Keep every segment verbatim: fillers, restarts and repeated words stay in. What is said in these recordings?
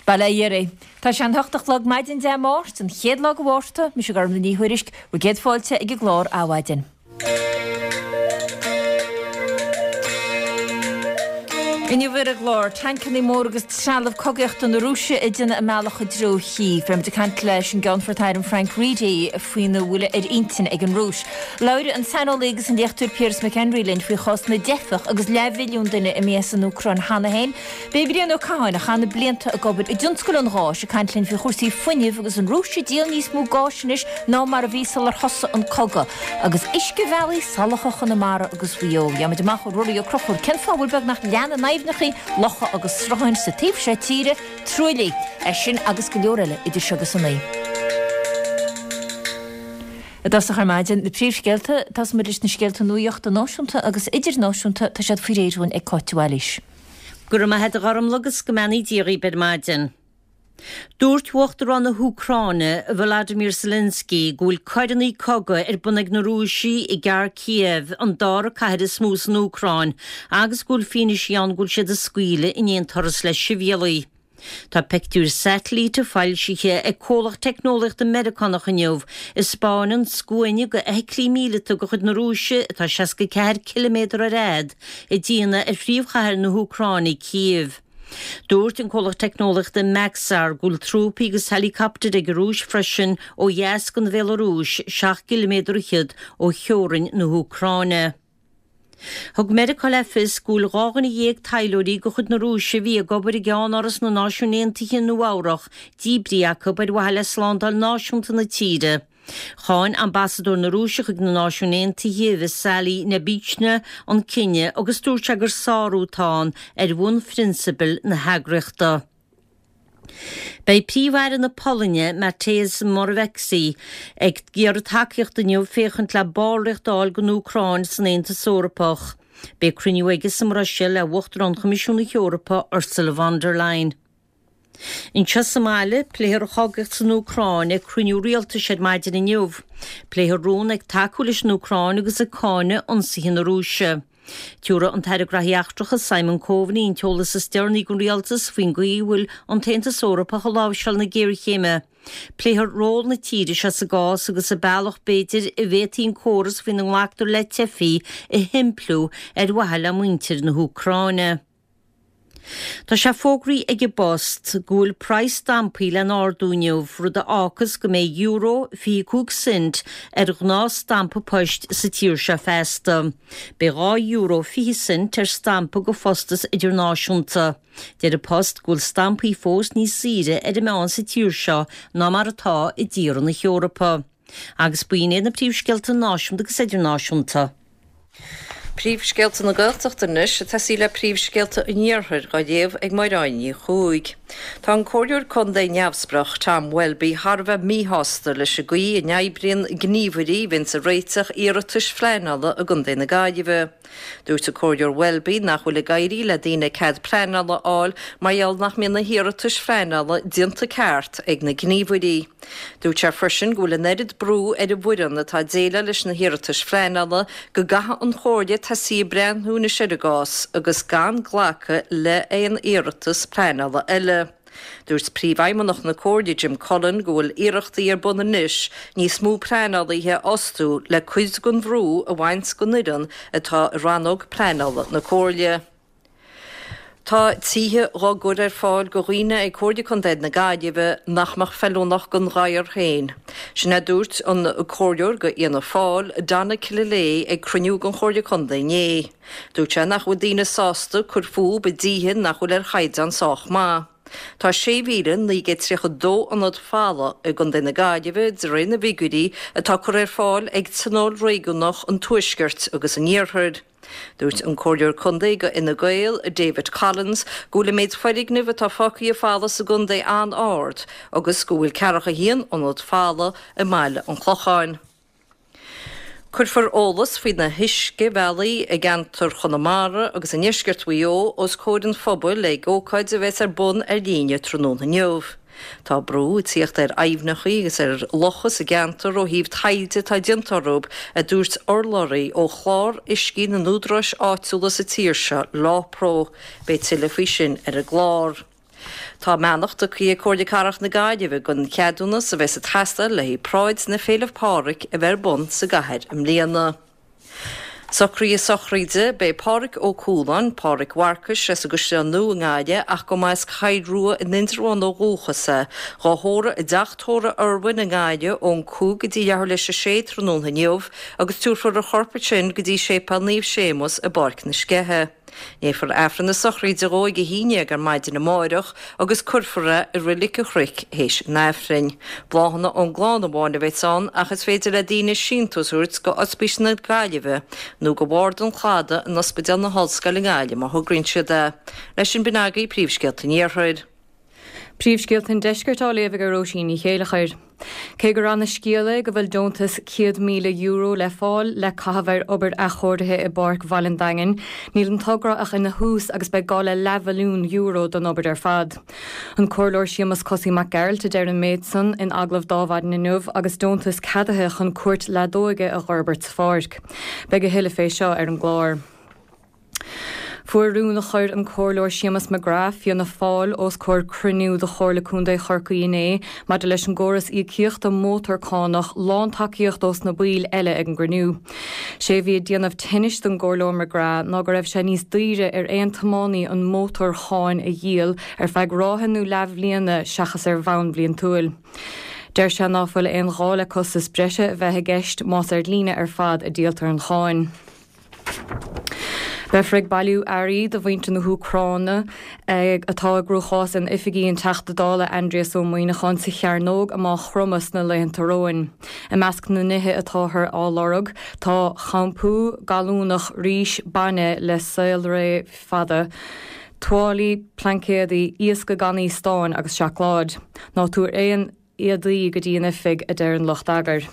Bail ó Dhia oraibh. Tá sé an hocht a chlog maidin Dé Máirt, an chéad lá de Mhárta, mise Gormlaith Ní Thuairisg, bhur gcéad fáilte ag an gclár Adhmhaidin. Inniu ar an gclár, tancanna móra agus trealamh cogaíochta na Rúise ag déanamh a mbealach i dtreo Chív. Beimid ag caint leis an gCeannfort Airm Frank Reidy faoina bhfuil ar intinn ag an Rúis. Labhróidh an saineolaí agus an léachtóir Piaras McHenry linn faoi chás na dteifeach agus leathmhilliún duine imithe as an Úcráin cheana féin. Beidh Brian Ó Catháin, a chaith na blianta ag obair i dtionscal an gháis, ag caint linn faoi chúrsaí fuinnimh agus an Rúis ag díol níos mó gáis anois ná mar a bhí sular thosaigh an cogadh. Agus uiscebhealaí salacha Chonamara agus Mhaigh Eo. Gheobhaimid amach ó Ruairí Ó Conchúir cén fáth a bhfuil beagnach leath na n-aibhneacha, locha agus srutháin sa taobh seo tíre truaillithe. É sin agus go leor eile idir seo agus a naoi. I dtosach ar maidin, na príomhscéalta, Tosóimid leis na scéalta nuachta náisiúnta agus idirnáisiúnta, tá siad faoi réir dúinn ag Cáit de Bhailís. Go raibh maith agat a Ghormlaith agus go mbeannaí Dia dhaoibh ar maidin. Dúirt Uachtarán na hÚcráine, Volodymyr Zelensky, go bhfuil coireanna cogaidh ar bun ag na Rúisigh i gCarkiev, an dara cathair is mó san Úcráin, agus go bhfuil fianaise ann go bhfuil siad ag scaoileadh in aon turas le sibhialaigh. Tá pictiúir satailíte foilsithe ag comhlacht teicneolaíochta Meiriceánach inniu a 'spáineann scuaine de fheithiclí míleata de chuid na Rúise atá seasca ceathair ciliméadar ar fhad ag déanamh ar phríomhchathair na hÚcráine, Cív. Dúirt an comhlacht teicneolaíochta Maxar go bhfuil trúpaí agus heileacaptair ag an Rúis freisin ó dheas den Bhéalarúis, seacht gciliméadar fhichead ó theorainn na hÚcráine. Thug Meiriceá le fios go bhfuil dhá dhuine dhéag taidhleoirí de chuid na Rúise a bhí ag obair i gceannáras na Náisiún Aontaithe i Nua-Eabhrac díbrithe acu ar mhaithe le slándáil náisiúnta na tíre. Cháin ambasadóir na Rúise chuig na Náisiúin Aontaithe, Vassily Nebenzia, an cinneadh agus dúirt sé gur sárú atá ann ar bhunphrionsabail na heagraíochta. Beidh Príomh-Aire na Polainne, Mateusz Morawiecki, ag iarraidh tacaíochta inniu féachaint le ballraíocht a fháil don Úcráin san Aontas Eorpach. Beidh cruinniú aige sa mBruiséil le Uachtarán Choimisiún na hEorpa, Ursula von der Leyen. Anseo sa mbaile, pléifear an chogaíocht san Úcráin ag cruinniú rialtais ar maidin inniu. Pléifear rún ag tacú leis an Úcráin agus ag cáineadh ionsaithe na Rúise. Tabharfaidh an tAire Graithí Eachtracha Simon Coveney an t-eolas is deireanaí don rialtas faoin gcaoi a bhfuil an tAontas Eorpach ag láimhseáil na géarchéime. Pléifear ról na tíre seo sa gcás agus an bealach b'fhéidir a bhféadfaí an córas faoina nglactar le teifigh a shimpliú ar mhaithe le muintir na hÚcráine. Tá sé fógraithe ag an bPost go bhfuil praghas stampaí le n-ardú inniu, rud a fhágfas go mbeidh euro fiche cúig cent ar ghnáth stampa poist sa tír seo feasta. Beidh dhá euro fiche cent ar stampa do phostas idirnáisiúnta. Deir an Post go bhfuil stampaí fós níos saoire ar an meán sa tír seo ná mar atá i dtíortha na hEorpa. Agus b'in iad na príomhscéalta náisiúnta agus idirnáisiúnta. Príomhscéalta na Gaeltachta anois, ag tosaí le príomhscéalta an Iarthair á léamh ag Máire Ní Chuaig. Tá an Comhairleoir Contae neamhspleách Tom Welby thar a bheith míshásta leis an gcaoi a n-oibríonn gníomhairí a bhíonns ag réiteach iarratais phleanála i gContae na Gaillimhe. Dúirt an Comhairleoir Welby nach bhfuil ag éirí le daoine cead pleanála a fháil mar gheall nach mbíonn na hiarratais phleanála déanta ceart ag na gníomhairí. Dúirt sé freisin go bhfuil an oiread brú ar an bhfoireann atá ag déileáil leis na hiarratais phleanála go gcaithfidh an Chomhairle tosaí ag breathnú anois ar an gcás agus gan glacadh le haon iarratas pleanála eile. Dúirt Príomhfheidhmeannach na Comhairle Jim Cullen go bhfuil iarrachtaí ar bun anois níos mó pleanálaithe a fhostú le cuid den bhrú a bhaint den fhoireann atá i rannóg pleanála na Comhairle. Tá tithe dhá gcur ar fáil go dhaoine ag Comhairle Contae na Gaillimhe nach mbeadh feiliúnach don ghadhar féin. Sin a dúirt an Comhairleoir go Fhianna Fáil, Donna Killilea ag cruinniú den Chomhairle Contae inné. Dúirt sé nach bhfuil daoine sásta cur fúb i dtithe nach bhfuil ar chaighdeán sách maith. Tá sé mhíle naoi gcéad tríocha dó ionad folamh i gContae na Gaillimhe de réir na bhfigiúirí atá curtha ar fáil ag Tionól Réigiúnach an Tuaiscirt agus an Iarthair. Dúirt an Comhairleoir Contae go Fhine Gael, David Collins, go bhfuil an méid foirgneamh atá fágtha folamh sa gcontae an-ard agus go bhfuil ceathracha a haon ionad folamh i mBaile an Chlocháin. Cuirfear eolas faoi na huiscebhealaí i gceantar Chonamara agus i ndeisceart Mhaigh Eo os comhair an phobail ag ócáid a bheas ar bun ar líne tráthnóna inniu. Tá brú ag tíocht ar aibhneacha agus ar locha sa gceantar ó thaobh taighde atá déanta orthu, a dúirt urlabhraí ó Chlár Uiscí na nÚdaráis Áitiúla sa tír seo, LawPro. Beidh tuilleadh faoi sin ar an gclár. Tá a mbeannacht tugtha ag Comhairle Cathrach na Gaillimhe don cheadúnas a bheas ag teastáil le haghaidh Paráid na Féile Pádraig a bheith ar bun sa gcathair i mbliana. Socruithe sochraide, Beidh Pádraig Ó Cualáin, Pádraig Mharcais, as an gCaisleán Nua i nGaillimh ach go mba as Cill Rua in Indreabhán ó dhúchas é, dhá thórramh i dTeach Tórraimh Urwin i nGaillimh ón cúig go dtí leathuair leis a sé tráthnóna inniu agus tabharfar a chorp ansin go dtí Séipéal Naomh Séamus i bPáirc na Sceiche. Léifear Aifreann na sochraide dhó ag a haon déag ar maidin amáireach agus cuirfear é i Reilig an Chnoic théis an Aifrinn. Bláthanna ón gclann amháin a bheas ann ach is féidir le daoine síntiús a thabhairt go Ospís na Gaillimhe nó go Bhord an Chladaigh in Ospidéal na hOllscoile i nGaillimh má thograíonn siad é. Leis sin b'in agaibh príomhscéalta an Iarthair. Príomhscéalta an Deiscirt á léamh ag Róisín Ní Chéilleachair. Cé gur ana-scéal é go bhfuil deontas céad míle euro le fáil le caitheamh ar obair athchóirithe i bPáirc Bhaile an Daingin, níl an togra ach ina thús agus beidh gá le leathmhilliún euro don obair ar fad. An Comhairleoir Séamus Cosaí Mac Gearailt a deir an méid san in agallamh d'Adhmhaidin inniu agus deontas ceadaithe chun cúirt leadóige a dh'fhorbairt sa pháirc. Beidh a thuilleadh fé seo ar an gclár. Fuair rún a chuir an Comhairleoir Séamus McGrath, Fianna Fáil, os comhair cruinniú de Chomhairle Contae Chorcaí inné maidir leis an gcóras íocaíochta mótarchánach lántacaíocht ós na baill eile ag an gcruinniú. Sé a bhí ag déanamh tinnis don gComhairleoir McGrath ná go raibh sé níos daoire ar aon tiománaí an mótarcháin a dhíol ar feadh ráithe nó leathbhliana seachas ar bhonn bliantúil. Deir sé ná fuil aon ghá le costas breise a bheith i gceist más ar líne ar fad a díoltar an cháin. Beifear ag bailiú earraí do mhuintir na hÚcráine atá i gcruachás in oifigí an Teachta Dála Aindrias Ó Muimhneacháin sa Chearnóg i Maigh Chromtha sna laethanta romhainn. I measc na nithe atáthar á lorg tá shampú gallúnach, rís, bainne le saolré fada, tuáillí, plaincéadaí, iasc gan stáin agus seacláid. Ná tabhair aon éadaí go dtí an oifig, a deir an lucht eagair.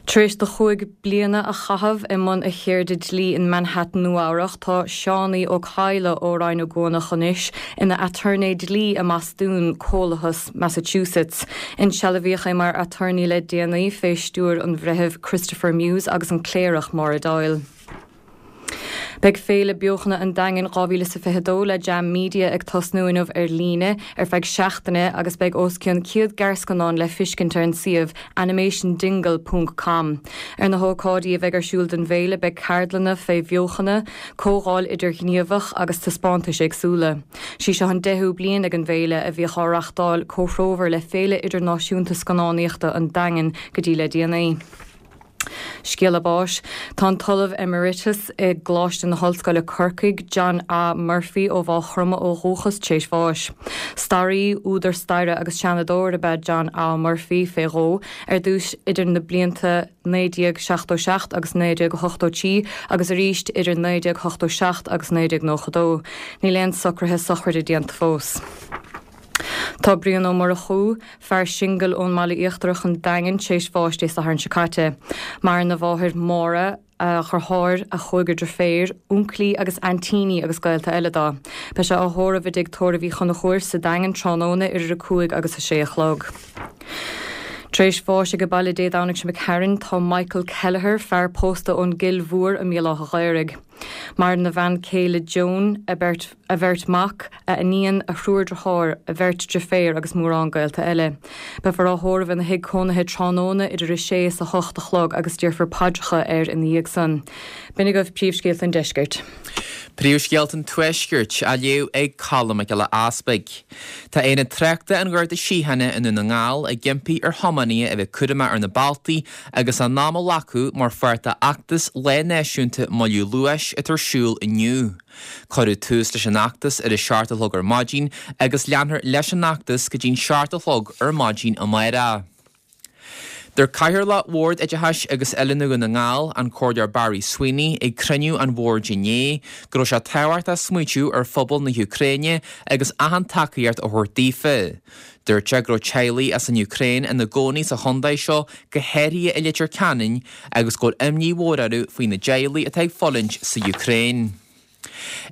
Tar éis do chúig bliana a chaitheamh i mbun a cheirde dlí in Manhattan Nua-Eabhrac, tá Seánie Ó Cadhla ó Rinn Ó gCuanach anois ina aturnae dlí i mBostún, Comhlathas Massachusetts. Insealbhaíodh é mar aturnae le déanaí fé stiúir an Bhreithimh Christopher Muse agus an Cléireach Maura Doyle. Beidh Féile Beochana an Daingin dhá mhíle is a fiche dó le Jam Media ag tosnú inniu ar líne ar feadh seachtaine agus beidh os cionn céad gearrscannán le fiscint ar an suíomh animation dingle ponc com. Ar na hócáidí a bheidh ar siúl don bhféile beidh ceardlanna fé bheochana, comhdháil idirghníomhach agus taispeántais éagsúla. Sí seo an deichiú bliain ag an bhféile a bhíodh á reachtáil comhthreomhar le Féile Idirnáisiúnta Scannánaíochta an Daingin go dtí le déanaí. Scéala báis. Tá an tOllamh Emeritus i gColáiste na hOllscoile Corcaigh, John A. Murphy ó Mhaigh Chromtha ó dhúchas, tréis bháis. Staraí, údar staire agus seanadóir ab ea John A. Murphy fé dhó, ar dtús idir na blianta naoi déag seachtó seacht agus naoi déag ochtó trí agus arís idir naoi déag ochtó seacht agus naoi déag nócha dó. Níl aon socruithe sochraide déanta fós. Tá Brian Ó Murchú, fear singil ón mBaile Íochtarach an Daingean, tréis bháis Dé Sathairn seo caite. Maireann a mháthair Máire, a dheartháir, a chúigear deirféar, únclaí agus aintíní agus gaolta eile dó. Beidh sé á thórramh i dTigh Tórraimh Uí Chonchúir sa Daingean tráthnóna idir a cúig agus a sé a chlog. Tar éis bháis age baile Dé Domhnaigh seo imigh tharainn, tá Michael Kelleher, fear pósta ón gCill Mhór i mBéal Átha Ghaorthaidh. Maireann a bhean chéile Joan, a beirt a bheirt mhac, a iníon, a thriúr dearthár, a bheirt deirféar agus mórán gaolta eile. Beifear á thórramh ina thigh cónaithe tráthnóna idir a sé is a hocht a chlog agus déarfar paidreacha air ina dhiaidh san. B'in agaibh príomhscéalta an deiscirt. Príomhscéalta an Tuaiscirt á léamh ag Colm Mac Giolla Easpaig. Tá Aonad Tráchta an Gharda Síochána i nDún na nGall ag impí ar thiománaithe a bheith cúramach ar na bealtaí agus a n-am a ghlacadh mar pháirt d'fheachtas Lá Náisiúnta Moilliú Luais atá ar siúl inniu. Cuireadh tús leis an fheachtas ar a seacht a chlog ar maidin agus leanfar leis an fheachtas go dtí'n seacht a chlog ar maidin amárach. Dúirt Cathaoirleach Bhord Oideachais agus Oiliúna Dhún na nGall, an Comhairleoir Barry Sweeney, ag cruinniú an bhoird inné, go raibh sé tábhachtach smaoitiú ar phobal na hÚcráine agus achan tacaíocht a thabhairt daofa. Dúirt sé go raibh teaghlaigh as an Úcráin ina gcónaí sa chontae seo, go háirithe i Leitir Ceanainn, agus go bhfuil imní mhór orthu faoi na dteaghlaigh atá ag fulaingt sa Úcráin.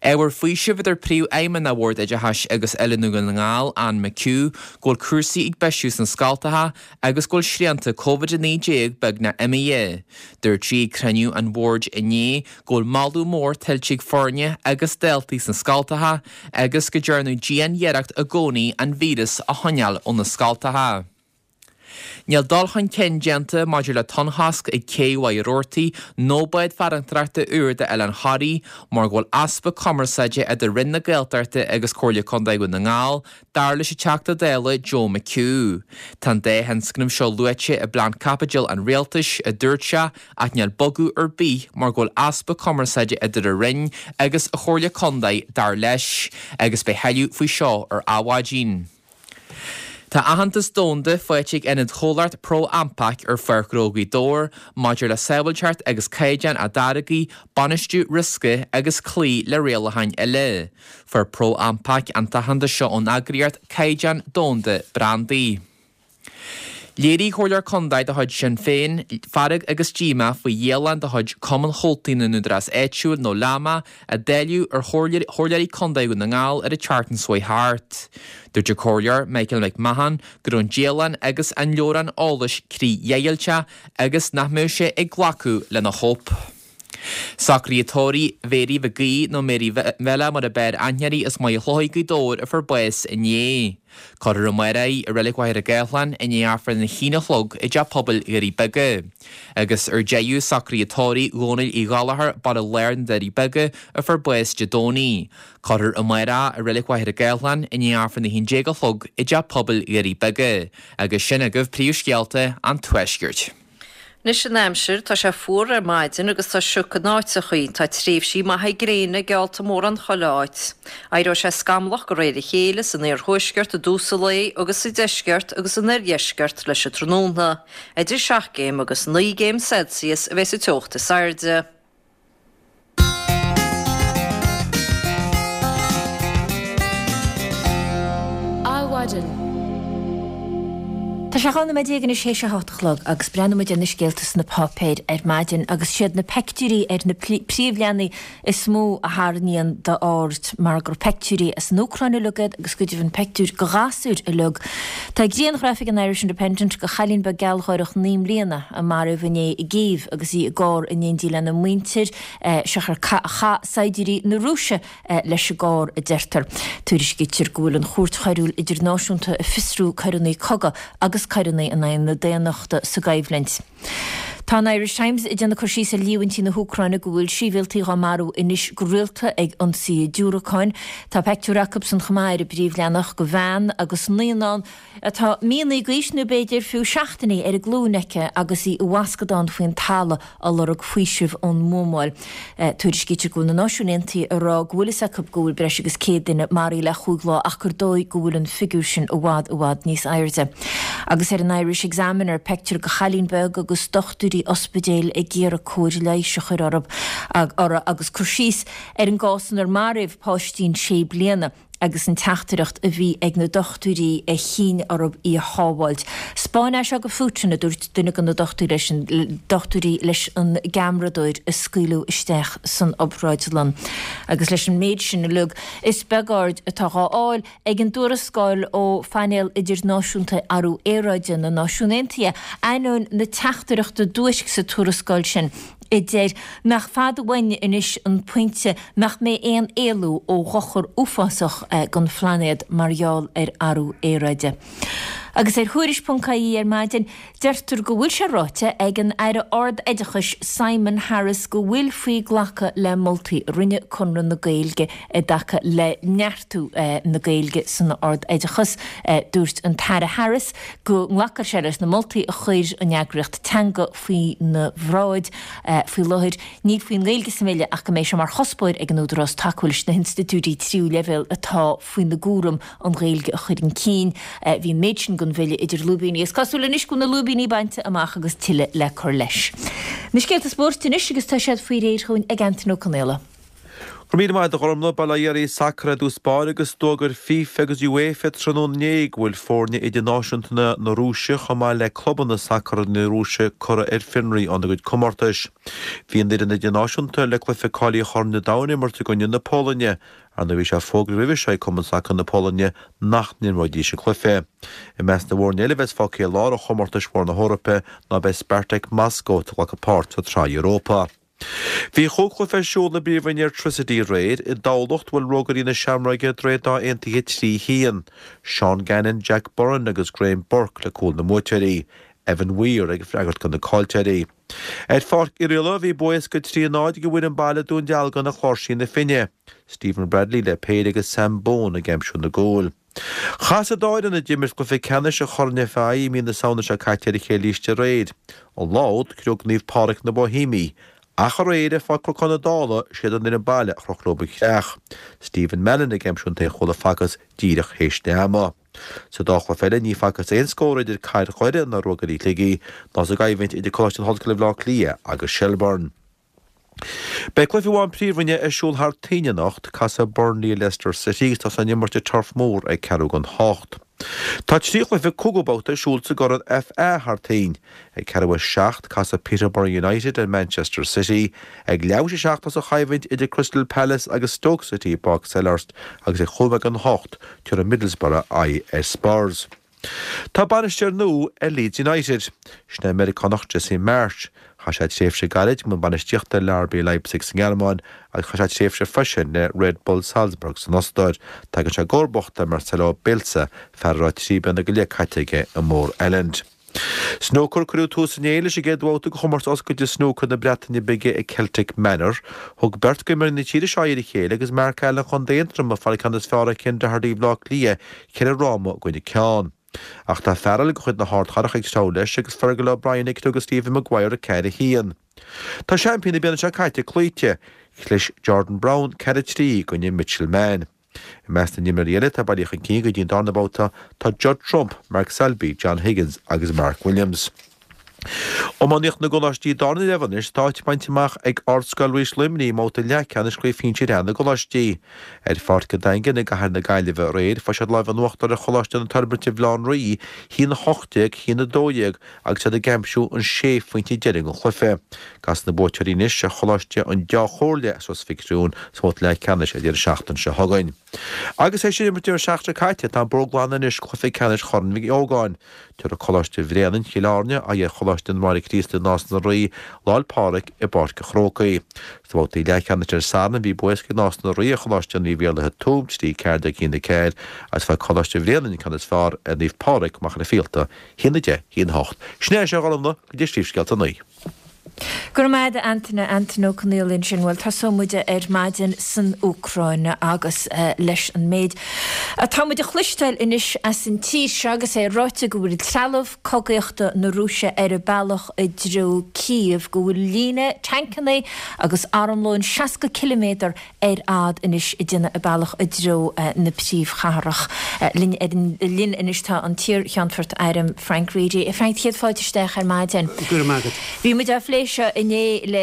Ábhar faoisimh a deir Príomhfheidhmeannach Bhord Oideachais agus Oiliúna Dhún na nGall, Anne McHugh, go bhfuil cúrsaí ag bisiú sna scoltacha agus go bhfuil srianta Covid a naoi déag beagnach imithe. Dúirt sí ag cruinniú an bhoird inné go bhfuil moladh mór tuillte ag foirne agus daltaí sna scoltacha agus go ndearnadh dian-iarracht i gcónaí an víreas a choinneáil ó na scoltacha. Níl dul chun cinn déanta maidir le tonnchosc ag cé Mhaighe Roarty nó bád farantóireachta úr d'Oileán Thoraí mar go bhfuil easpa cumarsáide idir Roinn na Gaeltachta agus Comhairle Contae Dhún na nGall, dar leis an Teachta Dála Joe McHugh. Tá an dá thionscnamh seo luaite i bplean caipitil an rialtais, a dúirt sé, ach níl bogadh ar bith mar go bhfuil easpa cumarsáide idir an Roinn agus an Chomhairle Contae, dar leis, agus beidh tuilleadh faoi seo ar Adhmhaidin. Tá aitheantas domhanda faighte ag ionad chomhlacht ProAmpac ar Pháirc Ghnó Ghaoth Dobhair maidir le sábháilteacht agus caighdeán a dtáirgí, bainistiú riosca agus cloí le rialacháin eile. Fuair ProAmpac an t-aitheantas seo ón eagraíocht Caighdeán Domhanda Brandaí. Léirigh Comhairleoir Contae de chuid Sinn Féin fearg agus díomá faoi dhialann de chuid Cumann Chomhaltaí na nÚdarás Áitiúil nó LAMA a dáileadh ar Chomhairleoirí Contae Dhún na nGall ar an tseachtain seo chuaigh thart. Dúirt an Comhairleoir Michael McMahon go raibh an dialann agus an leabhrán eolais críochdheighilte agus nach mbeadh sé ag glacadh lena chóip. Socruithe tórraimh Mhéirí Mhic Aoidh nó Mary Bhella mar a b'fhearr aithne uirthi as Maigh Chlóidh Gaoth Dobhair a fuair bás inné. Cuirfear amárach í i Reilig Mhachaire Gathlán i ndiaidh Aifreann a haon a chlog i dTeach Pobail Dhoirí Beaga. Agus ar deireadh socruithe tórraimh Dhónaill Uí Ghallchóir, Baile Láir na Doirí Beaga a fuair bás Dé Domhnaigh. Cuirfear amárach í i Reilig Mhachaire Gathlán i ndiaidh Aifreann a haon déag a chlog i dTeach Pobail Dhoirí Beaga. Agus sin agaibh príomhscéalta an Tuaiscirt. Anois an aimsir, tá sé fuar ar maidin agus tá sioc in áiteachaí. Tá tréimhsí maithe gréine geallta mórán chuile áit. Éireoidh sé scamallach de réir a chéile san iarthuaisceart i dtús an lae agus sa deisceart agus san oirdheisceart leis an tráthnóna. Idir seacht gcéim agus naoi gcéim Celsius a bheidh sa teocht is airde. Adhmhaidin. Tá sé dhá nóiméad déag anois théis a hocht a chlog agus breathnóidh muid ar na scéalta sna páipéir ar maidin agus siad na peictiúirí ar na príomhleathanaigh is mó a tharraingíonn d'aird mar gur peictiúirí as an Úcráin uilig iad agus go deimhin peictiúir de ghasúir uilig. Tá grianghraf ag an Irish Independent de chailín beag gealgháireach naoi mbliana a maraíodh inné i gCív agus í i gcarr in éindí lena muintir, siocair chaith saighdiúirí na Rúise leis an gcarr, a deirtear. Tuairiscítear go bhfuil an Chúirt Choiriúil Idirnáisiúnta ag fiosrú coireanna cogaidh agus coireanna in aghaidh na daonnachta sa gcoimhlint. Tá an Irish Times ag déanamh cur síos ar líomhaintí na hÚcráine go bhfuil sibhialtaigh á marú anois go rialta ag ionsaithe diúracáin. Tá peictiúr acubsan chomh maith ar an bpríomhleathanach de bhean agus naíonán atá míonna d'aois nó b'fhéidir fiú seachtainí ar a glúin aici agus í i bhfoscadán faoin talamh ag lorg faoisimh ón mbuamáil. Tuairiscítear go bhfuil na Náisiúin Aontaithe ag rá go bhfuil fhios acu go bhfuil breis agus céad duine maraithe le chúig lá ach gur dóigh go bhfuil an figiúr sin i bhfad i bhfad níos airde. Agus ar an Irish Examiner, peictiúr de chailín beag agus dochtúirí ospidéil ag iarraidh cóir leighis a chur orthu agus cur síos ar an gcás inar maraíodh páistín sé bliana. agus an teachtaireacht a bhí ag na dochtúirí a chinn orthu í a shábháilt. 'Spáin é seo go Putin, a dúirt duine de na dochtúirí leis an gceamaradóir a scaoileadh isteach san obráidlann. Agus leis an méid sin uilig, is beag aird atá dhá fháil ag an dtuarascáil ó Phainéal Idirnáisiúnta Athrú Aeráide na Náisiún Aontaithe, ainneoin na teachtaireachta duairce sa tuarascáil sin. a deir nach fada uainn anois an pointe nach mbeidh aon éalú ó dhochar uafásach don phlainéad mar gheall ar athrú aeráide. Agus ar Thuairisc ponc ie ar maidin, deirtear go bhfuil sé ráite ag an Aire Ard-Oideachais Simon Harris go bhfuil faoi glacadh le moltaí a rinne Conradh na Gaeilge i dtaca le neartú na Gaeilge san ard-oideachas. Dúirt an tAire Harris go nglacfadh sé leis na moltaí a chuir an eagraíocht teanga faoina bhráid. Faoi láthair, níl faoin nGaeilge sa mBille ach go mbeidh sé mar chuspóir ag an Údarás tacú leis na hinstitiúidí tríú leibhéal atá faoina gcúram an Ghaeilge a chur chun cinn. Bhí an méid sin den bhille idir lúibíní. Is cosúil anois go bhfuil na lúibíní bainte amach agus tuilleadh le cur leis. Na scéalta spóirt anois agus tá siad faoi réir chugainn ag Antain Ó Conaola. Go raibh míle maith agat a Ghormlaith, bail ó Dhia oraibh sacar i dtús báire agus d'fhógair FIFA agus UEFA tráthnóna inné go bhfuil foirne idirnáisiúnta na Rúise chomh maith le clubanna sacair na Rúise curtha ar fionraí óna gcuid comórtais. Bhí an fhoireann idirnáisiúnta le cluiche cáilithe Chorn an Domhain a imirt i gcoinne na Polainne. Ar ndóigh bhí sé fógartha roimhe seo ag Cumann Sacair na Polainne nach n-imreoidís an cluiche. I measc na bhfoirne eile a bheas fágtha ar lár ó chomórtais mhóra na hEorpa ná beidh Spartak Moscow atá ag glacadh páirt sa tSraith Europa. Bhí chúig chluiche ar siúl i bPríomhroinn Airtricity aréir. I dTamhlacht bhuail Rógairí na Seamróige Droichead Átha Aontaithe trí haon. Seán Gannon, Jack Byrne agus Graham Burke le cúil na mbuaiteoirí. Evan Weir ag freagairt do na caillteoirí. Ar Pháirc Oirialla bhí bua éasca trí a náid ag an bhfoireann baile Dún Dealgan ar Chláirsí na Finne. Stephen Bradley le péire agus Sam Bone ag aimsiú na gcúl. Chas an dá fhoireann a d'imir cluiche ceannais an Choirn FAI i mí na Samhna seo caite ar a chéile arís aréir. An lá úd, chroch Naomh Pádraig na Boihéimigh. Ach aréir, ar Pháirc Chnocán na Dála, siad an fhoireann baile a chroch leo an chreach. Stephen Mallon ag aimsiú an t-aon chúl a facthas díreach théis leath ama. Sa dá chluiche eile, ní facthas aon scór idir Cathair Dhoire ná Ruagairí Shligigh, ná sa gcoimhlint idir Coláiste na hOllscoile Bhaile Átha Cliath agus Shelbourne. Beidh cluiche amháin Príomhroinne ar siúl thar toinn anocht, casfaidh Burnley ar Leicester City agus tá san imirt i Turf Moor ag ceathrú don hocht. Tá trí chluiche cúigiú babhta ar siúl sa gCorn FA thar toinn. Ag ceathrú a seacht, casfaidh Peterborough United ar Manchester City, ag leathuair théis a seacht tá an choimhlint idir Crystal Palace agus Stoke City i bPáirc Selhurst agus ag chúig don hocht, tabharfaidh Middlesbrough aghaidh ar Spurs. Tá bainisteoir nua ar Leeds United. Sin é an Meiriceánach Jesse Marsch. Chaith sé tréimhse gairid i mbun bainistíochta le RB Leipzig sa nGearmáin agus chaith sé tréimhse freisin le Red Bull Salzburg san Ostair. Tagann sé i gcomharbacht ar Marcelo Bielsa, fear a raibh trí bliana go leith caite aige i Moor Island. Snúcar, Cuireadh tús inné leis an gcéad bhabhta de chomórtas oscailte snúcair na Breataine Bige i Celtic Manor. Thug beirt d'imreoirí na tíre seo aghaidh ar a chéile agus Mark Allen Chontae Aontroma ag fáil an ceann is fearr ar Ken Doherty Bhaile Átha Cliath, ceithre fhráma i gcoinne ceann. Ach tá fear eile de chuid na hardchathrach ag treabhadh leis agus Fergal O'Brien ag cniogadh Stephen Maguire ceathair a haon. Tá seaimpín na bliana seo caite cloíte. Chlis Jordan Brown ceathair a trí i gcoinne Mitchell Mann. I measc na n-imreoirí eile atá bailithe chun cinn go dtí an darna babhta tá Judd Trump, Mark Selby, John Higgins agus Mark Williams. Iománaíocht na gColáistí Dara Leibhéal anois, tá áit bainte amach ag Ardscoil Rís Luimnigh i mbabhta leathcheannais Chraobh Shinsir A na gColáistí. Ar Pháirc an Daingin i gcathair na Gaillimhe aréir, fuair siad lámh in uachtar ar Choláiste na Toirbhirte Bhaile Átha an Rí, a haon a hocht déag, a haon a dó dhéag, agus iad ag aimsiú an sé phointe deiridh den chluiche. Casfaidh na buaiteoirí anois ar Choláiste an Dá Chomhairle as Ros Mhic Thriúin sa mbabhta leathcheannais an deireadh seachtaine seo chugainn. Agus é sin imirt an deireadh seachtaine seo caite, tá an bóthar glan anois do chluiche ceannais Chorn Mhic Ógáin. Tabharfaidh Coláiste Bhréanainn, Chill Airne, aghaidh ar Choláiste na mBráithre Críostaí Nás na Rí, Lá 'le Pádraig i bPáirc an Chrócaigh. Sna babhtaí leathcheannais ar an Satharn bhí bua éasca ag Nás na Rí ar Choláiste Naomh Iarlaithe Tuaim, trí ceathair déag a haon a ceathair, agus fuair Coláiste Bhréanainn an ceann is fearr ar Naomh Pádraig, Machaire Fíolta, a haon a deich, a haon a hocht. Sin é seo a Ghormfhlaith go dtí Príomhscéalta a naoi. Go raibh maith agat a Antaine, Antaine Ó Conghaile ansin. Bhuel, tosóidh muid ar maidin san Úcráin agus leis an méid atá muid a chloisteáil anois as an tír seo agus é ráite go bhfuil trealamh cogaíochta na Rúise ar a bealach i dtreo Kiev, go bhfuil líne tancanna agus armlóin seasca ciliméadar ar fhad anois ag déanamh a bealach i dtreo na príomhchathrach. Linn ar an line anois tá an t-iar-Cheannfort Airm Frank Reidy. A Frank, céad fáilte isteach ar maidin. Go raibh maith agat. Bhí muid á phlé seo inné le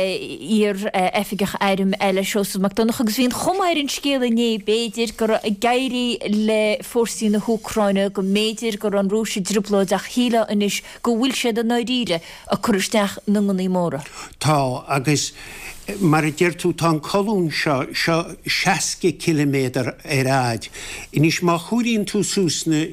iar-oifigeach airm eile, Seosamh Mac Donncha, agus bhí an chuma ar an scéal inné, b'fhéidir, go raibh ag éirí le fórsaí na hÚcráine, go mb'fhéidir go raibh an Rúis i dtrioblóid ach shílfeá anois go bhfuil siad i ndáiríre ag cur isteach na ngunnaí móra. Tá, agus mar a deir tú, tá an colún seo, seo seasca ciliméadar ar fhaid. Anois, má chomhairíonn tú suas na,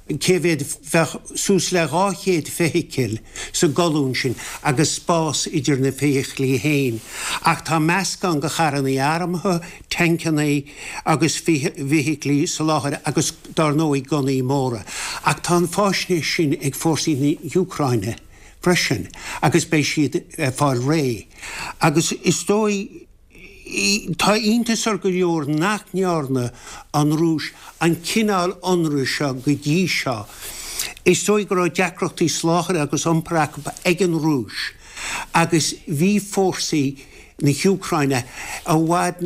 cé mhéad, bheadh suas le dhá chéad feithicil sa gcolún sin agus spás idir na feithiclí féin. Ach tá meascán de charrannaí armtha, tancannaí agus feithiclí soláthair agus, dár ndóigh, gunnaí móra. Ach tá an fáisnéis sin ag fórsaí na hÚcráine. freisin agus beidh siad ag fáil réidh. Agus is dóigh, tá iontas ar go leor nach ndearna an Rúis an cineál ionraidh seo go dtí seo. Is dóigh go raibh deacrachtaí soláthair agus iompair acu ag an Rúis agus bhí fórsaí na hÚcráine i bhfad,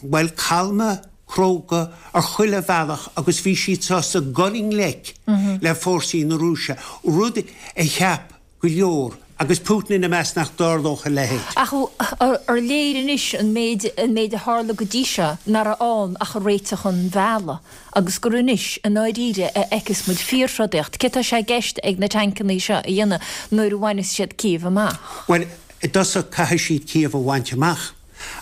bhuel, calma, cróga ar chuile bhealach agus bhí siad sásta dul i ngleic le fórsaí na Rúise, rud a cheap go leor agus Putin ina measc, nach dtarlódh a leithéid. Ach ar léir anois an méid an méid a tharla go dtí seo nach raibh ann ach réiteach an bhealaigh agus gur anois i ndáiríre a fheicfeas muid fíorthrodaíocht. Cé tá sé i gceist ag na tancannaí seo a dhéanamh nuair a bhaineas siad Cív amach? Bhuel, i dtosach caithfidh siad Cív a bhaint amach.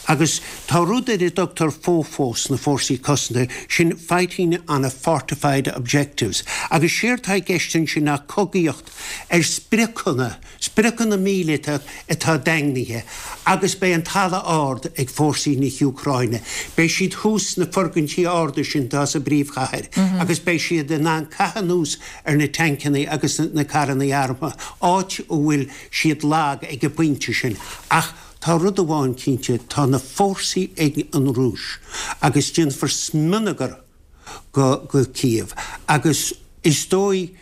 Agus tá rud ar a dtugtar FOFO sna fórsaí cosanta, sin Fighting on a Fortified Objectives, agus séard tá i gceist ansin ná cogaíocht ar spriocanna, spriocanna míleata atá daingnithe, agus beidh an talamh ard ag fórsaí na hÚcráine. Beidh siad thuas sna foirgintí arda sin atá sa bpríomhchathair agus beidh siad in ann caitheamh anuas ar na tancannaí agus na carrannaí armtha, áit a bhfuil siad lag ag an bpointe sin. Ach tá rud amháin cinnte, tá na fórsaí ag an Rúis agus déanfar smionagar go go Cív agus is dóigh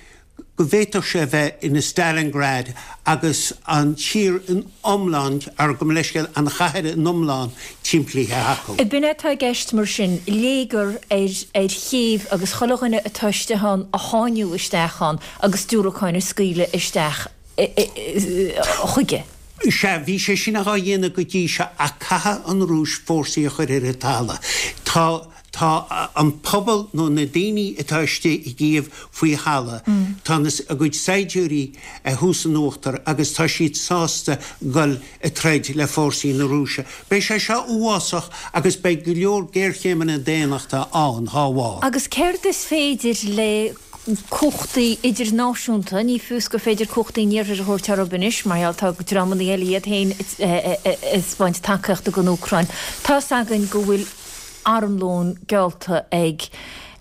go bhféadfadh sé a bheith ina Stalingrad agus an tír in iomlán, ar gabh mo leithscéal, an chathair in iomlán timplithe acu. B'in é atá i gceist mar sin, léigear ar ar Chív agus chuile dhuine atá istigh ann a sháinniú isteach ann agus diúracáin a scaoileadh isteach chuige. Sea, bhí sé sin á dhéanamh go dtí seo ach caithfidh an Rúis fórsaí a chur ar an talamh. Tá, tá an pobal nó na daoine atá istigh i gCív faoi thalamh, tá na, a gcuid saighdiúirí thuas in uachtar agus tá siad sásta dul ag troid le fórsaí na Rúise. Beidh sé seo uafásach agus beidh go leor géarchéimeanna daonnachta ann dhá bharr. Agus céard is féidir le cumhachtaí idirnáisiúnta, ní fios gur féidir cumhachtaí an Iarthair a thabhairt orthu anois, mar gheall tá dreamanna eile iad féin ag 'spáint tacaíochta don Úcráin. Tá's againn go bhfuil armlón geallta ag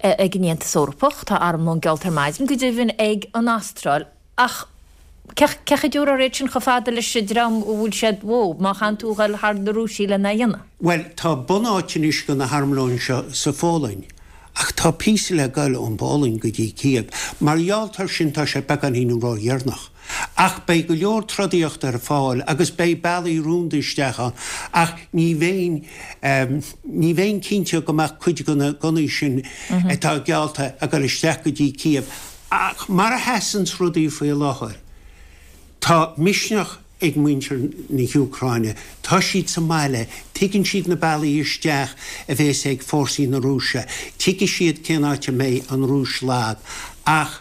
ag an Aontas Eorpach, tá armlón geallta ar maidin, go deimhin, ag an Astráil, ach cé chomh dtiúrfar iad sin chomh fada leis an dream a bhfuil siad, whoa, má chaitheann tú a dhul thar na Rúisigh lena dhéanamh? Bhuel, tá bunáit anois do na harmlóin seo sa Pholainn. Ach tá píosa le goil ón bPolainn go dtí Cív. Mar gheall air sin tá sé beagáinín ródheireanach. Ach beidh go leor trodaíochta ar fáil agus beidh bealaí rúnda isteach ann. Ach ní bheinn, ní bheinn cinnte go mbeadh cuid de na gunnaí sin atá geallta ag goil isteach go dtí Cív. Ach mar a sheasanns rudaí faoi láthair, tá misneach ag muintir na hÚcráine. Tá siad sa mbaile, tuigeann siad na bealaí isteach a bhéas ag fórsaí na Rúise, tuigfidh siad cén áit a mbeidh an Rúis lag. Ach